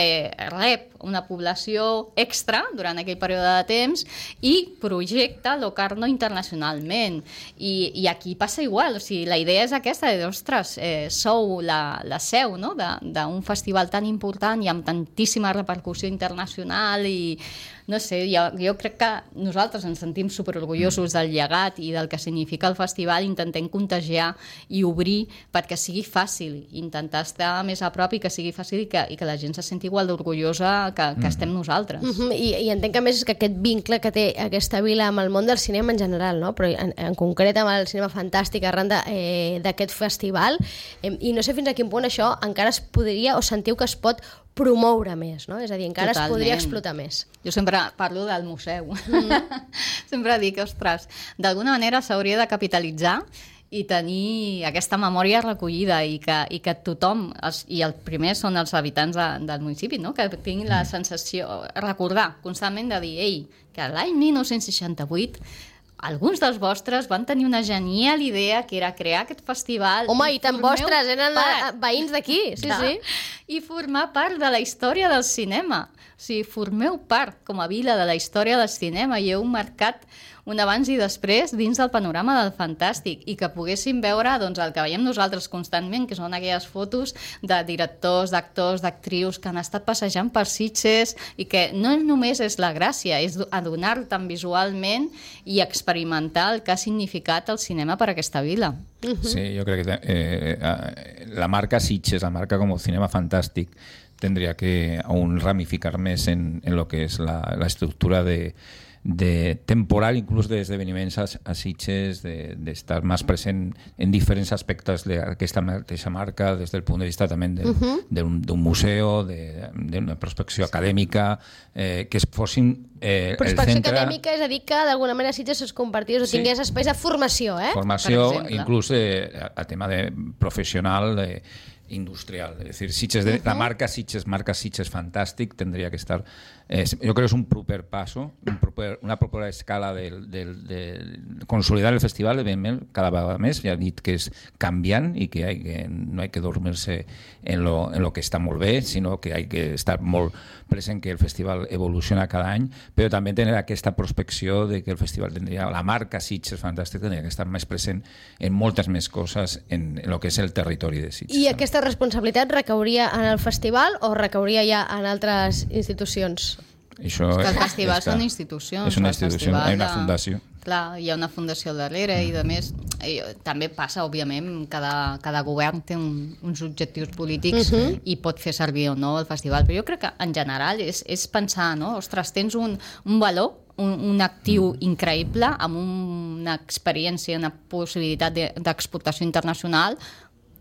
rep una població extra durant aquell període de temps i projecta Locarno internacionalment. I, i aquí passa igual, o sigui, la idea és aquesta, de, ostres, eh, sou la, la seu, no?, d'un festival tan important i amb tantíssima repercussió internacional i no sé, jo, jo crec que nosaltres ens sentim superorgullosos del llegat i del que significa el festival, intentem contagiar i obrir perquè sigui fàcil, intentar estar més a prop i que sigui fàcil i que, i que la gent se senti igual d'orgullosa que, que estem nosaltres. Uh -huh. I, I entenc que a més que aquest vincle que té aquesta vila amb el món del cinema en general, no? Però en, en concret amb el cinema fantàstic arran d'aquest eh, festival, eh, i no sé fins a quin punt això encara es podria, o sentiu que es pot promoure més, no? És a dir, encara Totalment. Es podria explotar més. Jo sempre parlo del museu. Mm. Sempre dic, ostres, d'alguna manera s'hauria de capitalitzar i tenir aquesta memòria recollida i que, i que tothom, els, i el primer són els habitants de, del municipi, no? Que tinguin la sensació, recordar constantment de dir, ei, que l'any mil nou-cents seixanta-vuit alguns dels vostres van tenir una genial idea que era crear aquest festival. Home, i, i tant vostres, eren part, veïns d'aquí, sí, de, sí. I formar part de la història del cinema. O sigui, formeu part, com a vila, de la història del cinema i heu marcat un abans i després dins del panorama del fantàstic i que poguéssim veure doncs, el que veiem nosaltres constantment, que són aquelles fotos de directors, d'actors, d'actrius que han estat passejant per Sitges i que no només és la gràcia, és adonar-te visualment i experimentar el que ha significat el cinema per a aquesta vila. Uh-huh. Sí, yo creo que eh, eh, la marca Sitges, la marca como cinema fantàstic, tendría que aún ramificar més en, en lo que es la, la estructura de de temporal, inclús d'esdeveniments a, a Sitges, d'estar de, més present en diferents aspectes d'aquesta mateixa marca, des del punt de vista també d'un uh-huh. un museu, d'una prospecció acadèmica, eh, que es fossin eh, prospecció el centre... acadèmica, és a dir, que d'alguna manera Sitges es compartís o sí. tingués espais de formació, eh? Formació, inclús eh, a tema de professional, de industrial, es decir, Sitges de, uh-huh. la marca Sitges, marca Sitges fantàstic, tendría que estar, eh, yo creo que es un proper paso, un proper, una propera escala de, de, de consolidar el festival, evidentment, cada vegada més, ja he dit que és canviant i que, hay que no hay que dormir-se en lo, en lo que està molt bé, sinó que hay que estar molt present que el festival evoluciona cada any, però també tenir aquesta prospecció de que el festival tindria, la marca Sitges fantàstic tindria que estar més present en moltes més coses en, en lo que és el territori de Sitges. I aquesta responsabilitat recauria en el festival o recauria ja en altres institucions? Això és que els festivals són institucions. És una institució, hi ha una fundació. Clar, hi ha una fundació al darrere i, a més, i, també passa, òbviament, cada, cada govern té un, uns objectius polítics uh-huh. i pot fer servir o no el festival, però jo crec que, en general, és, és pensar, no? Ostres, tens un, un valor, un, un actiu increïble, amb un, una experiència, una possibilitat d'exportació internacional,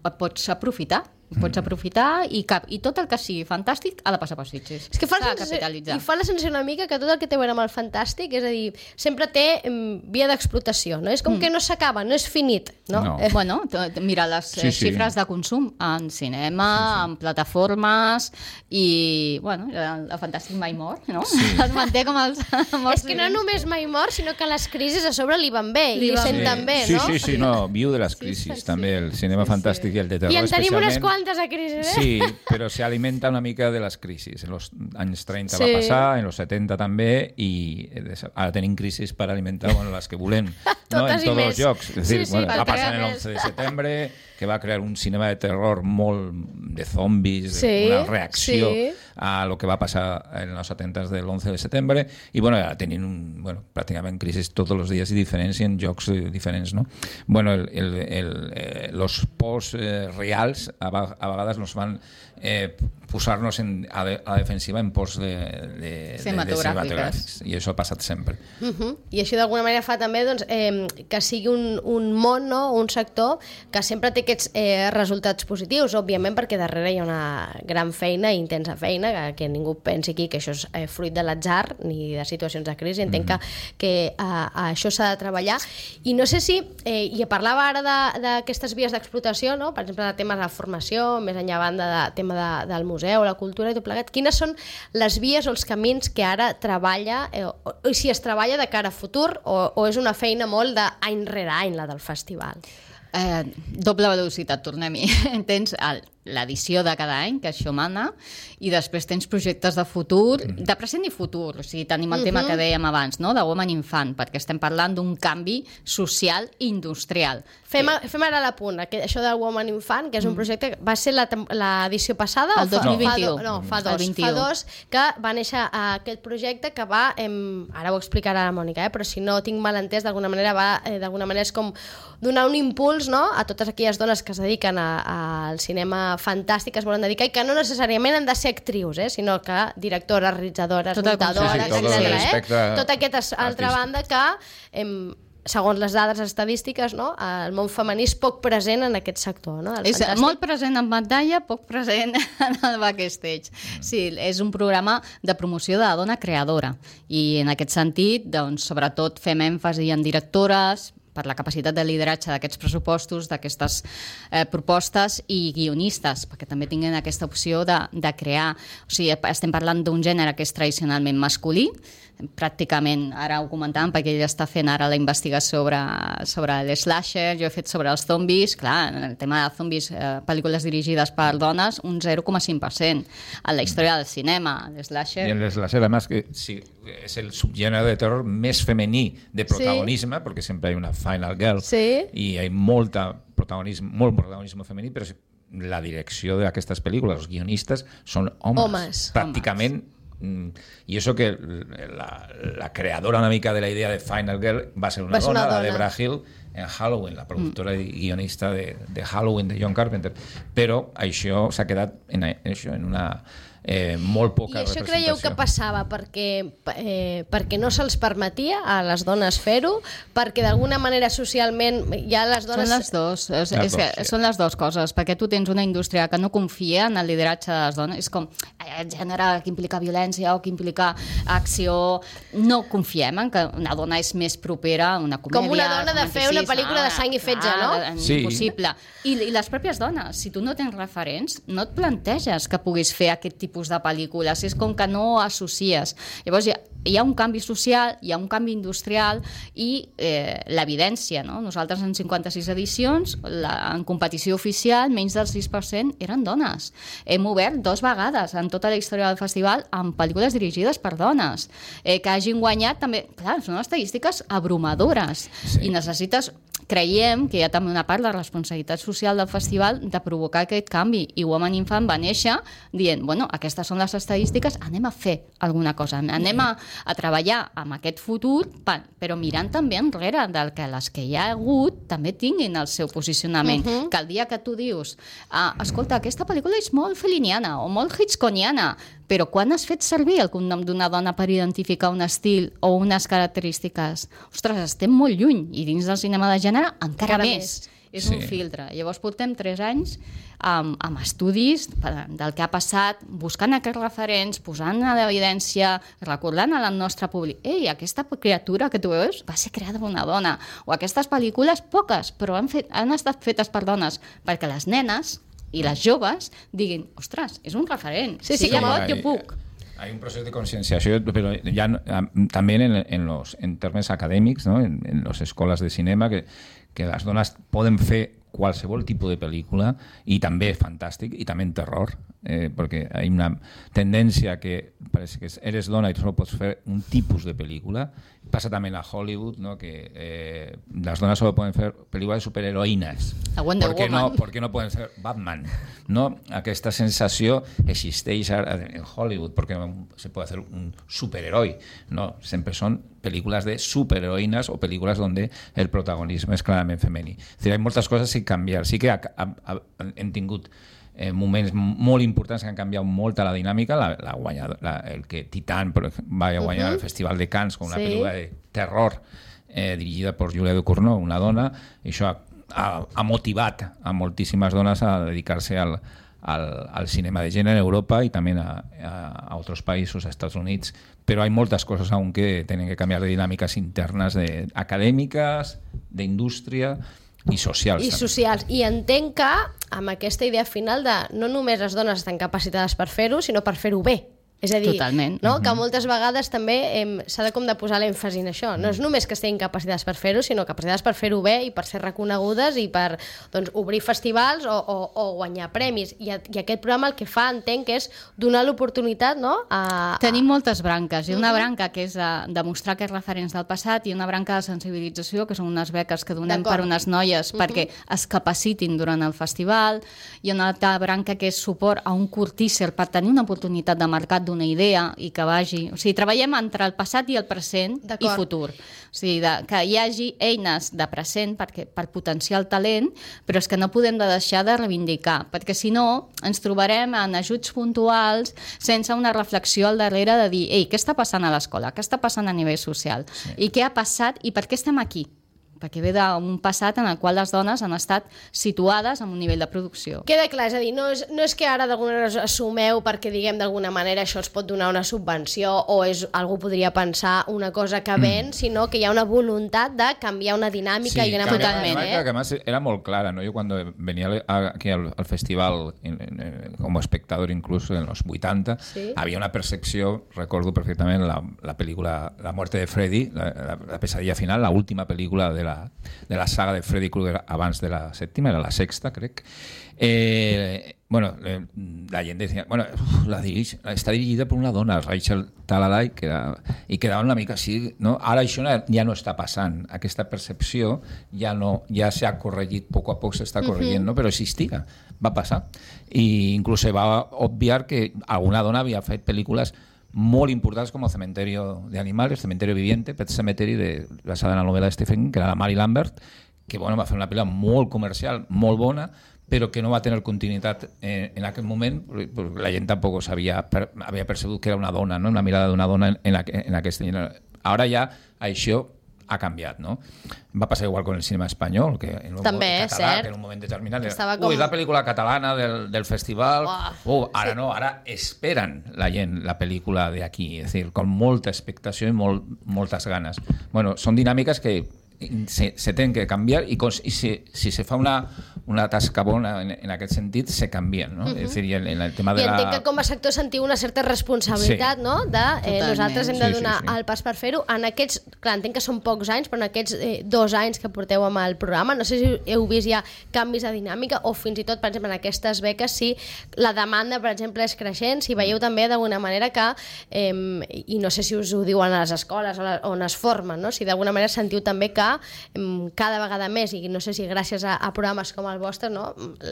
et pots aprofitar. Pots aprofitar i, cap, i tot el que sigui fantàstic ha de passar per Sitges. És que fa la sensació, i fa la sensació una mica que tot el que té a veure amb el fantàstic, és a dir, sempre té um, via d'explotació, no? És com mm. que no s'acaba, no és finit, no? no. Eh. Bueno, mira les sí, sí. xifres de consum en cinema, sí, sí. en plataformes i, bueno, el, el fantàstic mai mor, no? Sí. Es manté com els... És que no només mai mor, sinó que les crisis a sobre li van bé, li, li senten sí. bé, sí, no? Sí, sí, sí, no, viu de les crisis, sí, sí, també, el cinema sí, fantàstic sí. i el de terror especialment. I en tenim unes quantes a crisis, eh? Sí, però se alimenta una mica de les crisis. En els anys trenta sí. va passar, en els setenta també, i ara tenim crisis per alimentar bueno, les que volem, no? en tots els llocs. És dir, sí, sí, bueno, va passar en l'onze de setembre, que va crear un cinema de terror molt de zombis, sí, una reacció sí. a lo que va passar en els atemptats de l'onze de setembre, i bueno, ara tenim un, bueno, pràcticament crisis tots els dies i diferents i en jocs diferents, no? Bueno, el, el, el, eh, los pors eh, reals a, a vegades nos van eh, posar-nos en, a, de, a defensiva en pors de, de, cinematogràfics. I això ha passat sempre. Uh -huh. I això d'alguna manera fa també doncs, eh, que sigui un, un món, no? Un sector que sempre té aquests eh, resultats positius, òbviament perquè darrere hi ha una gran feina, intensa feina, que, que ningú pensi aquí que això és eh, fruit de l'atzar ni de situacions de crisi. Entenc uh -huh. que, que a, a això s'ha de treballar. I no sé si, eh, i parlava ara d'aquestes vies d'explotació, no? Per exemple, de temes de formació, més enllà banda de tema de, del museu, la cultura i tot plegat. Quines són les vies o els camins que ara treballa, eh, o, o si es treballa de cara a futur, o, o és una feina molt d'any rere any, la del festival? Eh, doble velocitat, tornem-hi. Tens el, l'edició de cada any, que això mana, i després tens projectes de futur, de present i futur, o sigui, tenim el uh-huh. tema que dèiem abans, no?, de Woman Infant, perquè estem parlant d'un canvi social i industrial. Fem, a, fem ara l'apunt, això del Woman Infant, que és un projecte que va ser l'edició passada? El dos mil vint-i-u. No, fa dos, fa dos, que va néixer aquest projecte que va, em, ara ho explicarà la Mònica, eh, però si no tinc mal entès, d'alguna manera va, eh, d'alguna manera és com donar un impuls, no?, a totes aquelles dones que es dediquen a, a, al cinema fantàstic, que es volen dedicar, i que no necessàriament han de ser actrius, eh, sinó que directores, realitzadores, muntadores, sí, sí, etcètera. Eh? Tota aquesta altra banda que, em, segons les dades estadístiques, no?, el món femení és poc present en aquest sector. No?, és fantàstic. Molt present en pantalla, poc present en el backstage. Sí, és un programa de promoció de la dona creadora, i en aquest sentit, doncs, sobretot fem èmfasi en directores, per la capacitat de lideratge d'aquests pressupostos, d'aquestes eh, propostes, i guionistes, perquè també tinguin aquesta opció de, de crear. O sigui, estem parlant d'un gènere que és tradicionalment masculí, pràcticament, ara ho comentàvem, perquè ell està fent ara la investigació sobre, sobre l'slasher, jo he fet sobre els zombis, clar, el tema de zombis, eh, pel·lícules dirigides per dones, un zero coma cinc per cent en la història del cinema, l'slasher. I l'slasher, además, que sí, és el subgènere de terror més femení de protagonisme, sí, perquè sempre hi ha una final girl, sí, i hi ha molta protagonisme, molt protagonisme femení, però la direcció d'aquestes pel·lícules, els guionistes, són homes, homes. pràcticament. Y eso que la, la creadora una mica de la idea de Final Girl va ser una, va ser dona, una dona, la Debra Hill, en Halloween, la productora mm. i guionista de, de Halloween de John Carpenter. Però això s'ha quedat en, en, això, en una eh, molt poca representació. I això creieu que passava perquè, eh, perquè no se'ls permetia a les dones fer-ho, perquè d'alguna manera socialment ja les dones... Són les dos, és, és, és, sí. són les dues coses, perquè tu tens una indústria que no confia en el lideratge de les dones, és com el gènere que implica violència o que implica acció, no confiem en que una dona és més propera a una comèdia, com una dona de fer una pel·lícula de sang i fetge, ah, no? Sí. Impossible. I, I les pròpies dones, si tu no tens referents, no et planteges que puguis fer aquest tipus de pel·lícules, és com que no associes. Llavors hi ha, hi ha un canvi social, hi ha un canvi industrial i eh, l'evidència, no? Nosaltres en cinquanta-sis edicions, la, en competició oficial, menys del sis per cent eren dones. Hem obert dos vegades en tota la història del festival amb pel·lícules dirigides per dones, eh, que hagin guanyat també, clar, són estadístiques abrumadores, sí. I necessites, creiem que hi ha també una part de la responsabilitat social del festival de provocar aquest canvi, i Woman Infant va néixer dient, bueno, aquestes són les estadístiques, anem a fer alguna cosa, anem a, a treballar amb aquest futur, però mirant també enrere del que les que hi ha hagut també tinguin el seu posicionament, uh-huh. que el dia que tu dius, ah, escolta, aquesta pel·lícula és molt feliniana o molt hitchcockiana, però quan has fet servir el cognom d'una dona per identificar un estil o unes característiques? Ostres, estem molt lluny, i dins del cinema de gènere encara, encara més. més. És sí. un filtre. Llavors portem tres anys amb, amb estudis del que ha passat, buscant aquests referents, posant a l'evidència, recordant al nostre públic, ei, aquesta criatura que tu veus va ser creada per una dona, o aquestes pel·lícules, poques, però han, fet, han estat fetes per dones, perquè les nenes i les joves diguin, ostres, és un referent, sí, sí, si jo pot, jo puc. Hay un proceso de concienciación, pero ya también en, en los en términos acadèmics, ¿no? en, en les escoles de cinema, que, que les dones poden fer qualsevol tipus de pel·lícula, i també fantàstic, i també en terror, eh, perquè hi ha una tendència que parece que eres dona i solo pots fer un tipus de pel·lícula. Passa també a Hollywood, ¿no? que eh, las donas solo pueden fer pel·lícules de superheroïnes. Wonder ¿Por qué Woman. no, ¿Por qué no pueden ser Batman? ¿No? Aquesta sensació existeix en Hollywood, perquè no se puede hacer un superheroi. No, sempre són pel·lícules de superheroïnes o pel·lícules donde el protagonisme és clarament femení. És dir, hi ha moltes coses que canviar. Sí que ha, ha, ha, hem tingut eh, moments molt importants que han canviat molt la dinàmica. La, la guanyador, la, el que Titan va guanyar uh-huh. el Festival de Cannes com una sí. pel·lícula de terror eh, dirigida per Julia Ducournau, una dona, i això ha, ha, ha motivat a moltíssimes dones a dedicar-se al, al, al cinema de gènere en Europa i també a, a, a altres països, a Estats Units. Però hi ha moltes coses aún que tenen que canviar de dinàmiques internes, de, acadèmiques, d'indústria i socials. I també. socials. I entenc que amb aquesta idea final de no només les dones estan capacitades per fer-ho, sinó per fer-ho bé. És a dir, Totalment. no? que moltes vegades també eh, s'ha de com de posar l'èmfasi en això. No és només que estiguin capacitats per fer-ho, sinó capacitats per fer-ho bé i per ser reconegudes i per doncs, obrir festivals o, o, o guanyar premis. I, I aquest programa el que fa, entenc, és donar l'oportunitat, no? A, a... Tenim moltes branques. Hi ha una branca que és de demostrar que és referents del passat i una branca de sensibilització, que són unes beques que donem per unes noies uh -huh. perquè es capacitin durant el festival. Hi ha una altra branca que és suport a un curt teaser per tenir una oportunitat de mercat d'una idea i que vagi... O sigui, treballem entre el passat i el present i futur. O sigui, de, que hi hagi eines de present perquè, per potenciar el talent, però és que no podem de deixar de reivindicar, perquè si no ens trobarem en ajuts puntuals sense una reflexió al darrere de dir ei, què està passant a l'escola, què està passant a nivell social, sí. i què ha passat i per què estem aquí? Perquè ve d'un passat en el qual les dones han estat situades en un nivell de producció. Queda clar, és a dir, no és, no és que ara d'alguna manera assumeu perquè, diguem, d'alguna manera això es pot donar una subvenció o és, algú podria pensar una cosa que ven, mm. sinó que hi ha una voluntat de canviar una dinàmica sí, i una totalment. Eh? Que además era molt clara, ¿no? Yo cuando venía aquí al, al festival en, en, como espectador incluso en los vuitanta, sí. había una percepción, recuerdo perfectamente la, la película La muerte de Freddy, la, la, la pesadilla final, la última película de la, de la saga de Freddy Krueger abans de la sèptima, era la sexta, crec. Eh, bueno, eh, la gent decía, bueno, uf, la dirige, està dirigida per una dona, Rachel Talalay, que era, i quedava una mica així, no? Ara això ja no està passant, aquesta percepció ja no, ja s'ha corregit, poc a poc s'està corregint, uh-huh. no? Però existia, va passar. I inclús se va obviar que alguna dona havia fet pel·lícules molt importants com el Cementerio de Animales, Cementerio Viviente, Pet Cemetery, de, basada en la novel·la de Stephen King, que era la Mary Lambert, que bueno, va fer una pel·lícula molt comercial, molt bona, però que no va tenir continuïtat en, en aquell moment, perquè la gent tampoc sabia, per, havia percebut que era una dona, no? Una mirada d'una dona en, en, en aquesta gènere. Ara ja això ha canviat, no? Va passar igual con el cinema espanyol, que en un també, moment català, cert. que en un moment determinat era, com... ui, la pel·lícula catalana del, del festival, oh, uh, ara sí. no, ara esperen la gent la pel·lícula d'aquí, és a dir, con molta expectació i molt, moltes ganes. Bueno, són dinàmiques que se, se tenen que canviar i, i si, si se fa una, una tasca bona en, en aquest sentit, se canvien, no? Uh-huh. És a dir, en, en el tema de I la... I entenc que com a sector sentiu una certa responsabilitat, sí. no? De eh, nosaltres hem de donar sí, sí, sí. el pas per fer-ho. En aquests, clar, entenc que són pocs anys, però en aquests eh, dos anys que porteu amb el programa, no sé si heu vist ja canvis de dinàmica o fins i tot, per exemple, en aquestes beques, si la demanda, per exemple, és creixent, si veieu també d'alguna manera que, eh, i no sé si us ho diuen a les escoles on es formen, no? Si d'alguna manera sentiu també que cada vegada més, i no sé si gràcies a, a programes com el vostre, no?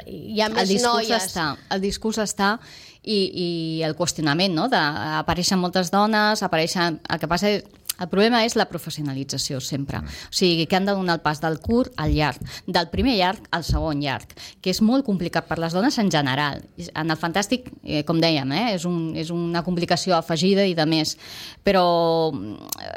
Hi ha més el discurs noies. Està, el discurs està i, i el qüestionament, no? De, apareixen moltes dones, apareixen... El que passa és... El problema és la professionalització, sempre. O sigui, que han de donar el pas del curt al llarg, del primer llarg al segon llarg, que és molt complicat per les dones en general. En el fantàstic, eh, com dèiem, eh, és, un, és una complicació afegida i de més. Però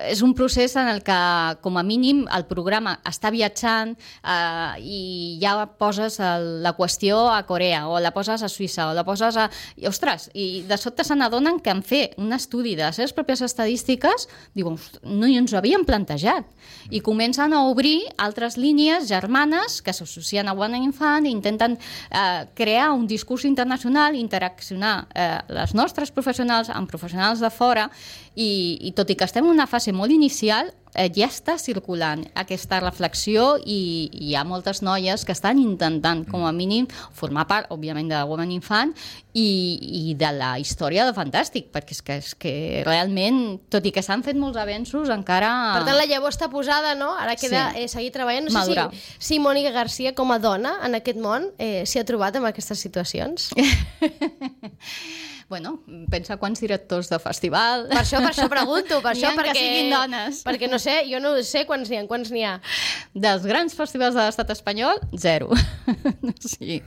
és un procés en el que, com a mínim, el programa està viatjant eh, i ja poses el, la qüestió a Corea, o la poses a Suïssa, o la poses a... I, ostres, i de sobte se n'adonen que en fer un estudi de les seves pròpies estadístiques, diuen, no ens ho havíem plantejat, i comencen a obrir altres línies germanes que s'associen a Women Infant i intenten eh, crear un discurs internacional, interaccionar eh, les nostres professionals amb professionals de fora, i, i tot i que estem en una fase molt inicial, eh, ja està circulant aquesta reflexió i, i hi ha moltes noies que estan intentant, com a mínim, formar part, òbviament, de Women Infant i, i de la història de Fantàstic, perquè és que, és que realment, tot i que s'han fet molts avenços, encara... Per tant, la llavor està posada, no? Ara queda sí. eh, seguir treballant. No sé si, si Mònica Garcia, com a dona en aquest món, eh, s'hi ha trobat en aquestes situacions. Bueno, pensa quants directors de festival... Per això, per això pregunto, per això, perquè... que siguin dones. Perquè no sé, jo no sé quants n'hi ha, quants n'hi ha. Dels grans festivals de l'estat espanyol, zero. Sí.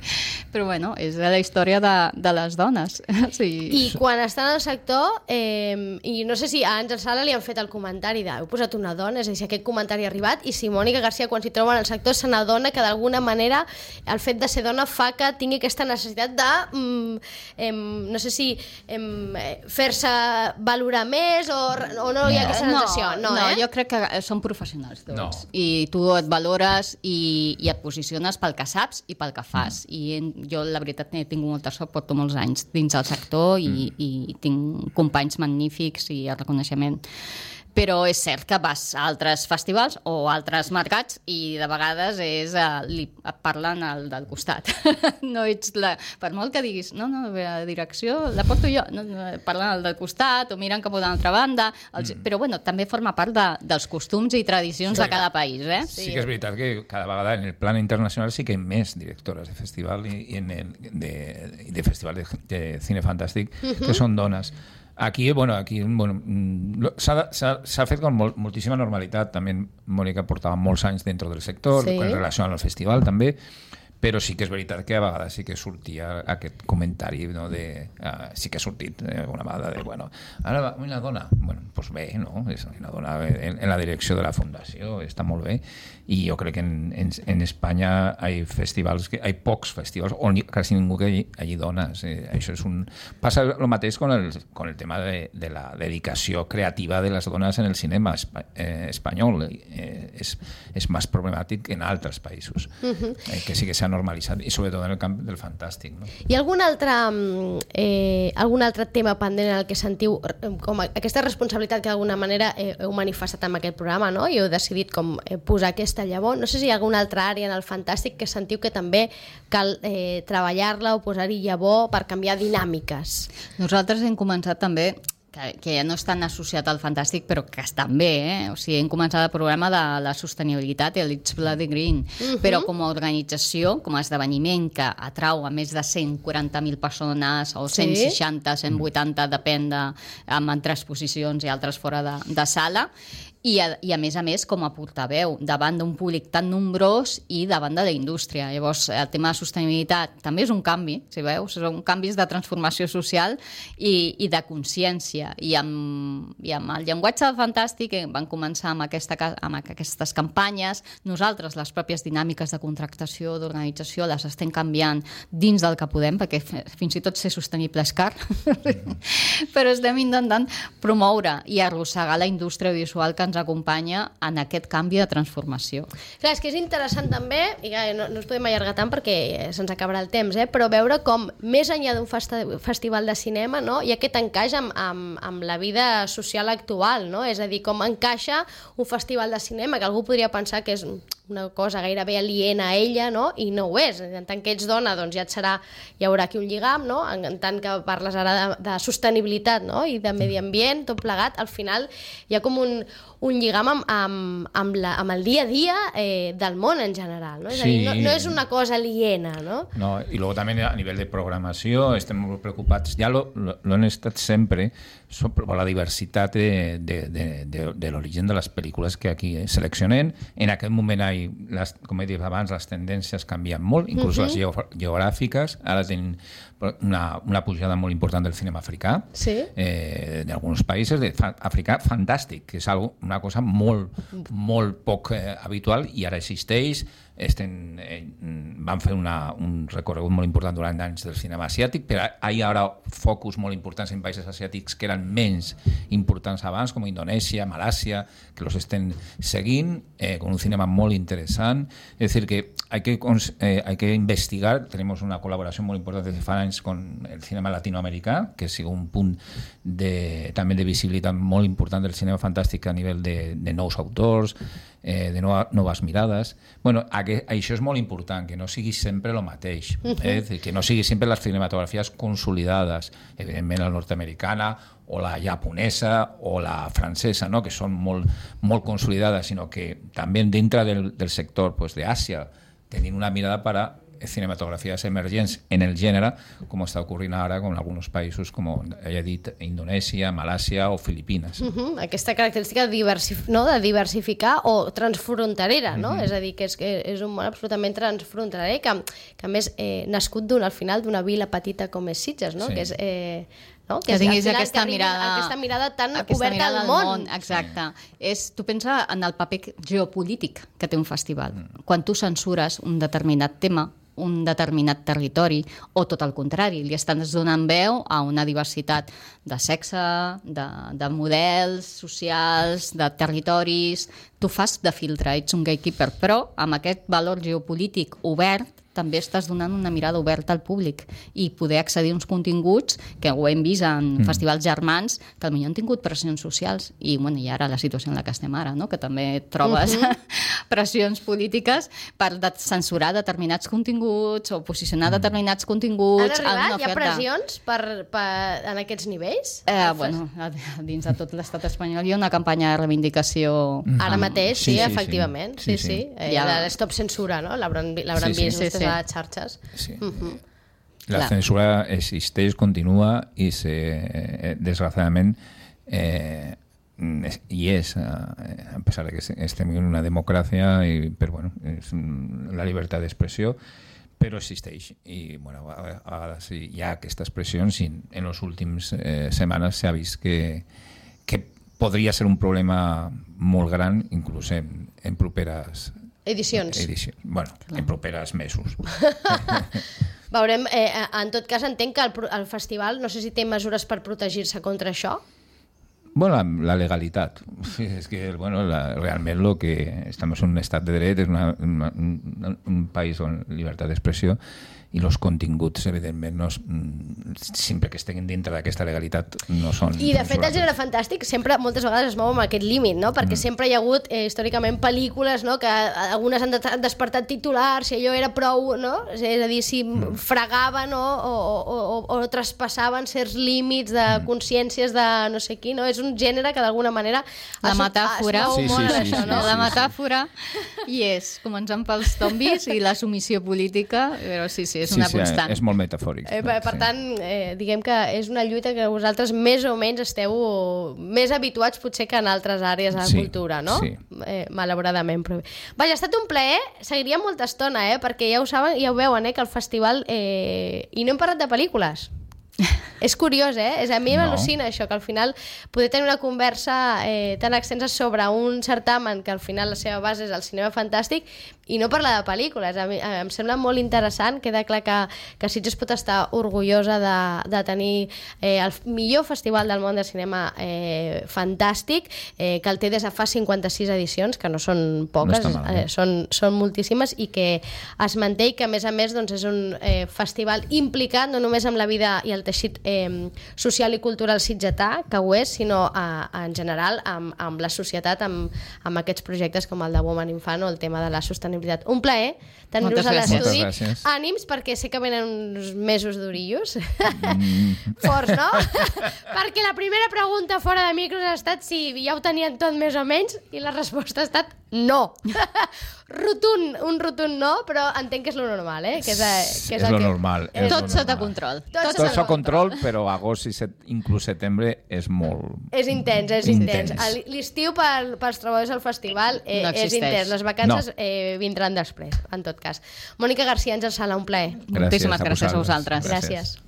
Però bueno, és la història de, de les dones. Sí. I quan estan al sector, eh, i no sé si a Àngel Sala li han fet el comentari de heu posat una dona, és a dir, si aquest comentari ha arribat, i si Mònica Garcia, quan s'hi troba en el sector, se n'adona que d'alguna manera el fet de ser dona fa que tingui aquesta necessitat de, mm, eh, no sé si fer-se valorar més o, o no hi ha aquesta sensació? No, no, no eh? jo crec que són professionals tots. No. I tu et valores i, i et posiciones pel que saps i pel que fas. Mm. I en, jo la veritat he tingut molta sort, porto molts anys dins del sector i, mm. i tinc companys magnífics i el reconeixement. Però és cert que vas a altres festivals o altres mercats i de vegades és, uh, li, et parlen al del costat. No ets la... Per molt que diguis, no, no, la direcció la porto jo, no, no, parlen al del costat o miren cap a una altra banda, els... mm. però bueno, també forma part de, dels costums i tradicions sí, de cada país. Eh? Sí. sí que és veritat que cada vegada en el plan internacional sí que hi ha més directores de festival i, i en el, de, de festival de, de cine fantàstic uh-huh. que són dones. Aquí, bueno, aquí bueno, s'ha fet con mol, moltíssima normalitat. També Mònica portava molts anys dintre del sector, sí. en relació al festival també, però sí que és veritat que a vegades sí que sortia aquest comentari, no, de, uh, sí que ha sortit eh, una vegada de, bueno, ara va una dona, bueno, doncs bé, no? És una dona en, en la direcció de la fundació, està molt bé, i jo crec que en, en, en Espanya hi ha festivals, que, hi ha pocs festivals, on quasi ningú que hi hagi dones. Eh, això és un... Passa el mateix con el, con el tema de, de la dedicació creativa de les dones en el cinema espa, eh, espanyol. Eh, és, és més problemàtic que en altres països, uh-huh. eh, que sí que s'ha normalitzat, i sobretot en el camp del fantàstic. No? Hi ha algun altre, eh, algun altre tema pendent en el que sentiu com aquesta responsabilitat que d'alguna manera eh, heu manifestat en aquest programa, no? I heu decidit com eh, posar aquesta llavor? No sé si hi ha alguna altra àrea en el fantàstic que sentiu que també cal eh, treballar-la o posar-hi llavor per canviar dinàmiques. Nosaltres hem començat també que, que ja no és tan associat al fantàstic, però que estan bé, eh? O sigui, hem començat el programa de la sostenibilitat i l'It's Bloody Green, uh-huh. però com a organització, com a esdeveniment que atrau a més de cent quaranta mil persones, o cent seixanta, sí? cent vuitanta, depèn de, amb entre exposicions i altres fora de, de sala, I a, i a més a més com a portaveu davant d'un públic tan nombrós i davant de la indústria. Llavors el tema de sostenibilitat també és un canvi, si veus, són canvis de transformació social i, i de consciència, i amb, i amb el llenguatge fantàstic van començar amb, aquesta, amb aquestes campanyes. Nosaltres les pròpies dinàmiques de contractació, d'organització les estem canviant dins del que podem, perquè fins i tot ser sostenible és car però estem intentant promoure i arrossegar la indústria visual que ens acompanya en aquest canvi de transformació. Clar, és que és interessant també, i no, no ens podem allargar tant perquè se'ns acabarà el temps, eh? Però veure com més enllà d'un festi festival de cinema, no? Hi ha aquest encaix amb, amb, amb la vida social actual, no? És a dir, com encaixa un festival de cinema, que algú podria pensar que és una cosa gairebé aliena a ella, no? I no ho és. En tant que ets dona, doncs ja et serà, hi haurà aquí un lligam, no? En, en tant que parles ara de, de sostenibilitat, no? I de medi ambient, tot plegat, al final hi ha com un, un lligam amb, amb, amb, la, amb el dia a dia eh, del món en general, no? És sí. a dir, no, no és una cosa aliena, no? No, i luego també a nivell de programació estem molt preocupats, ja lo, lo, lo han estat sempre, per la diversitat de, de, de, de, de l'origen de les pel·lícules que aquí eh, seleccionem. En aquest moment, hi, les, com he dit abans, les tendències canvien molt, inclús uh-huh. les geo geogràfiques. Ara tenim una, una pujada molt important del cinema africà, sí. eh, d'alguns països, de fa, africà fantàstic, que és algo, una cosa molt, molt poc eh, habitual, i ara existeix. Estem, eh, van fer una, un recorregut molt important durant anys del cinema asiàtic, però hi ha ara focus molt importants en països asiàtics que eren menys importants abans, com Indonèsia, Malàsia, que los estem seguint, eh, con un cinema molt interessant. Es decir, que hay que, eh, hay que investigar. Tenemos una colaboración muy importante desde fa anys con el cinema latinoamericà, que sigue un punt de, també de visibilitat molt important del cinema fantàstic a nivell de, de nous autors, eh, de nova, noves mirades. Bueno, que, això és molt important, que no sigui sempre el mateix, eh? Que no sigui sempre les cinematografies consolidades, evidentment la nord-americana o la japonesa o la francesa, no? Que són molt, molt consolidades, sinó que també dintre del, del sector pues, d'Àsia tenim una mirada per a cinematografías emergents en el gènere, com està ocorrint ara con alguns països, com he dit, Indonèsia, Malàsia o Filipines. Uh-huh. Aquesta característica de, diversif no? de diversificar o transfronterera, no? Uh-huh. És a dir, que és, que és un món absolutament transfronterer, que, que a més eh, nascut al final d'una vila petita com és Sitges, no? Sí. Que és... Eh, no? Que, que tinguis aquesta mirada, aquesta mirada tan aquesta oberta mirada al món. món. Exacte. És, tu pensa en el paper geopolític que té un festival. Mm. Quan tu censures un determinat tema, un determinat territori, o tot el contrari, li estàs donant veu a una diversitat de sexe, de, de models socials, de territoris. Tu fas de filtre, ets un gatekeeper, però amb aquest valor geopolític obert també estàs donant una mirada oberta al públic i poder accedir a uns continguts que ho hem vist en mm. festivals germans que potser han tingut pressions socials i, bueno, i ara la situació en la que estem ara, no? Que també trobes uh -huh. pressions polítiques per de censurar determinats continguts o posicionar mm. determinats continguts. Han arribat? Hi ha pressions per, per, en aquests nivells? Eh, bueno, dins de tot l'estat espanyol hi ha una campanya de reivindicació. Mm. Ara mateix, sí, sí, sí efectivament. Sí, sí. sí. sí. Eh, ja... Stop censura, no? L'hauran sí, sí, vist sí, sí. a les xarxes. Sí. Uh-huh. La Clar. censura existeix, continua i se, desgraciadament eh, i és, a pesar de que estem en una democràcia, i, però bueno, és la llibertat d'expressió, però existeix i bueno, a, a vegades hi ha aquestes pressions i en les últimes eh, setmanes s'ha vist que, que podria ser un problema molt gran, inclús en, en properes edicions. Edició. Bueno, Clar. en properes mesos. Veurem, eh, en tot cas entenc que el, el festival, no sé si té mesures per protegir-se contra això. Bueno, la, la legalitat. És que, bueno, la, realment lo que estem en un estat de dret, és una, una, un, un país on llibertat d'expressió i els continguts, evidentment, no, sempre que estiguin dintre d'aquesta legalitat no són... I, de fet, el gènere fantàstic sempre, moltes vegades, es mou amb aquest límit, no? Perquè mm. sempre hi ha hagut, eh, històricament, pel·lícules, no? Que algunes han, de, han despertat titulars, si allò era prou, no? És a dir, si mm. fregaven o, o, o, o, o traspassaven certs límits de mm. consciències de no sé qui, no? És un gènere que, d'alguna manera... La metàfora... Es, es sí, sí, sí, això, sí, no? sí, sí, la metàfora i és començant pels zombis i la submissió política, però sí, sí, és una sí, sí, constant. És molt metafòric. Eh, per, per sí. tant, eh, diguem que és una lluita que vosaltres més o menys esteu més habituats potser que en altres àrees de la sí, cultura, no? Sí. Eh, malauradament. Però... Vaja, ha estat un plaer, seguiria molta estona, eh? Perquè ja ho saben, ja ho veuen, eh? Que el festival... Eh... I no hem parlat de pel·lícules. És curiós, eh? És, a mi no. m'al·lucina això, que al final poder tenir una conversa eh, tan extensa sobre un certamen que al final la seva base és el cinema fantàstic i no parlar de pel·lícules. A mi, a, em sembla molt interessant, queda clar que, que Sitges pot estar orgullosa de, de tenir eh, el millor festival del món de cinema eh, fantàstic, eh, que el té des de fa cinquanta-sis edicions, que no són poques, no mal, eh? eh, són, són moltíssimes, i que es manté i que a més a més doncs, és un eh, festival implicat no només amb la vida i el teixit eh, social i cultural sitgetà, que ho és, sinó a, a, en general amb, amb la societat, amb, amb aquests projectes com el de Woman Infant o el tema de la sostenibilitat. Un plaer tenir-vos a l'estudi. Ànims, perquè sé que venen uns mesos d'orillos. Mm. Forts, no? Perquè la primera pregunta fora de micros ha estat si ja ho tenien tot més o menys i la resposta ha estat no. Rotund, un rotund no, però entenc que és lo normal, eh? Que és, que és, és el lo que... normal. És tot sota control. Tot, tot sota control, però agost i set, inclús setembre és molt... És intens, és intens. intens. L'estiu pel, pels treballadors del festival eh, no és intens. Les vacances no. eh, vindran després, en tot cas. Mònica García, Àngel Sala, un plaer. Moltíssimes gràcies a vosaltres. Gràcies.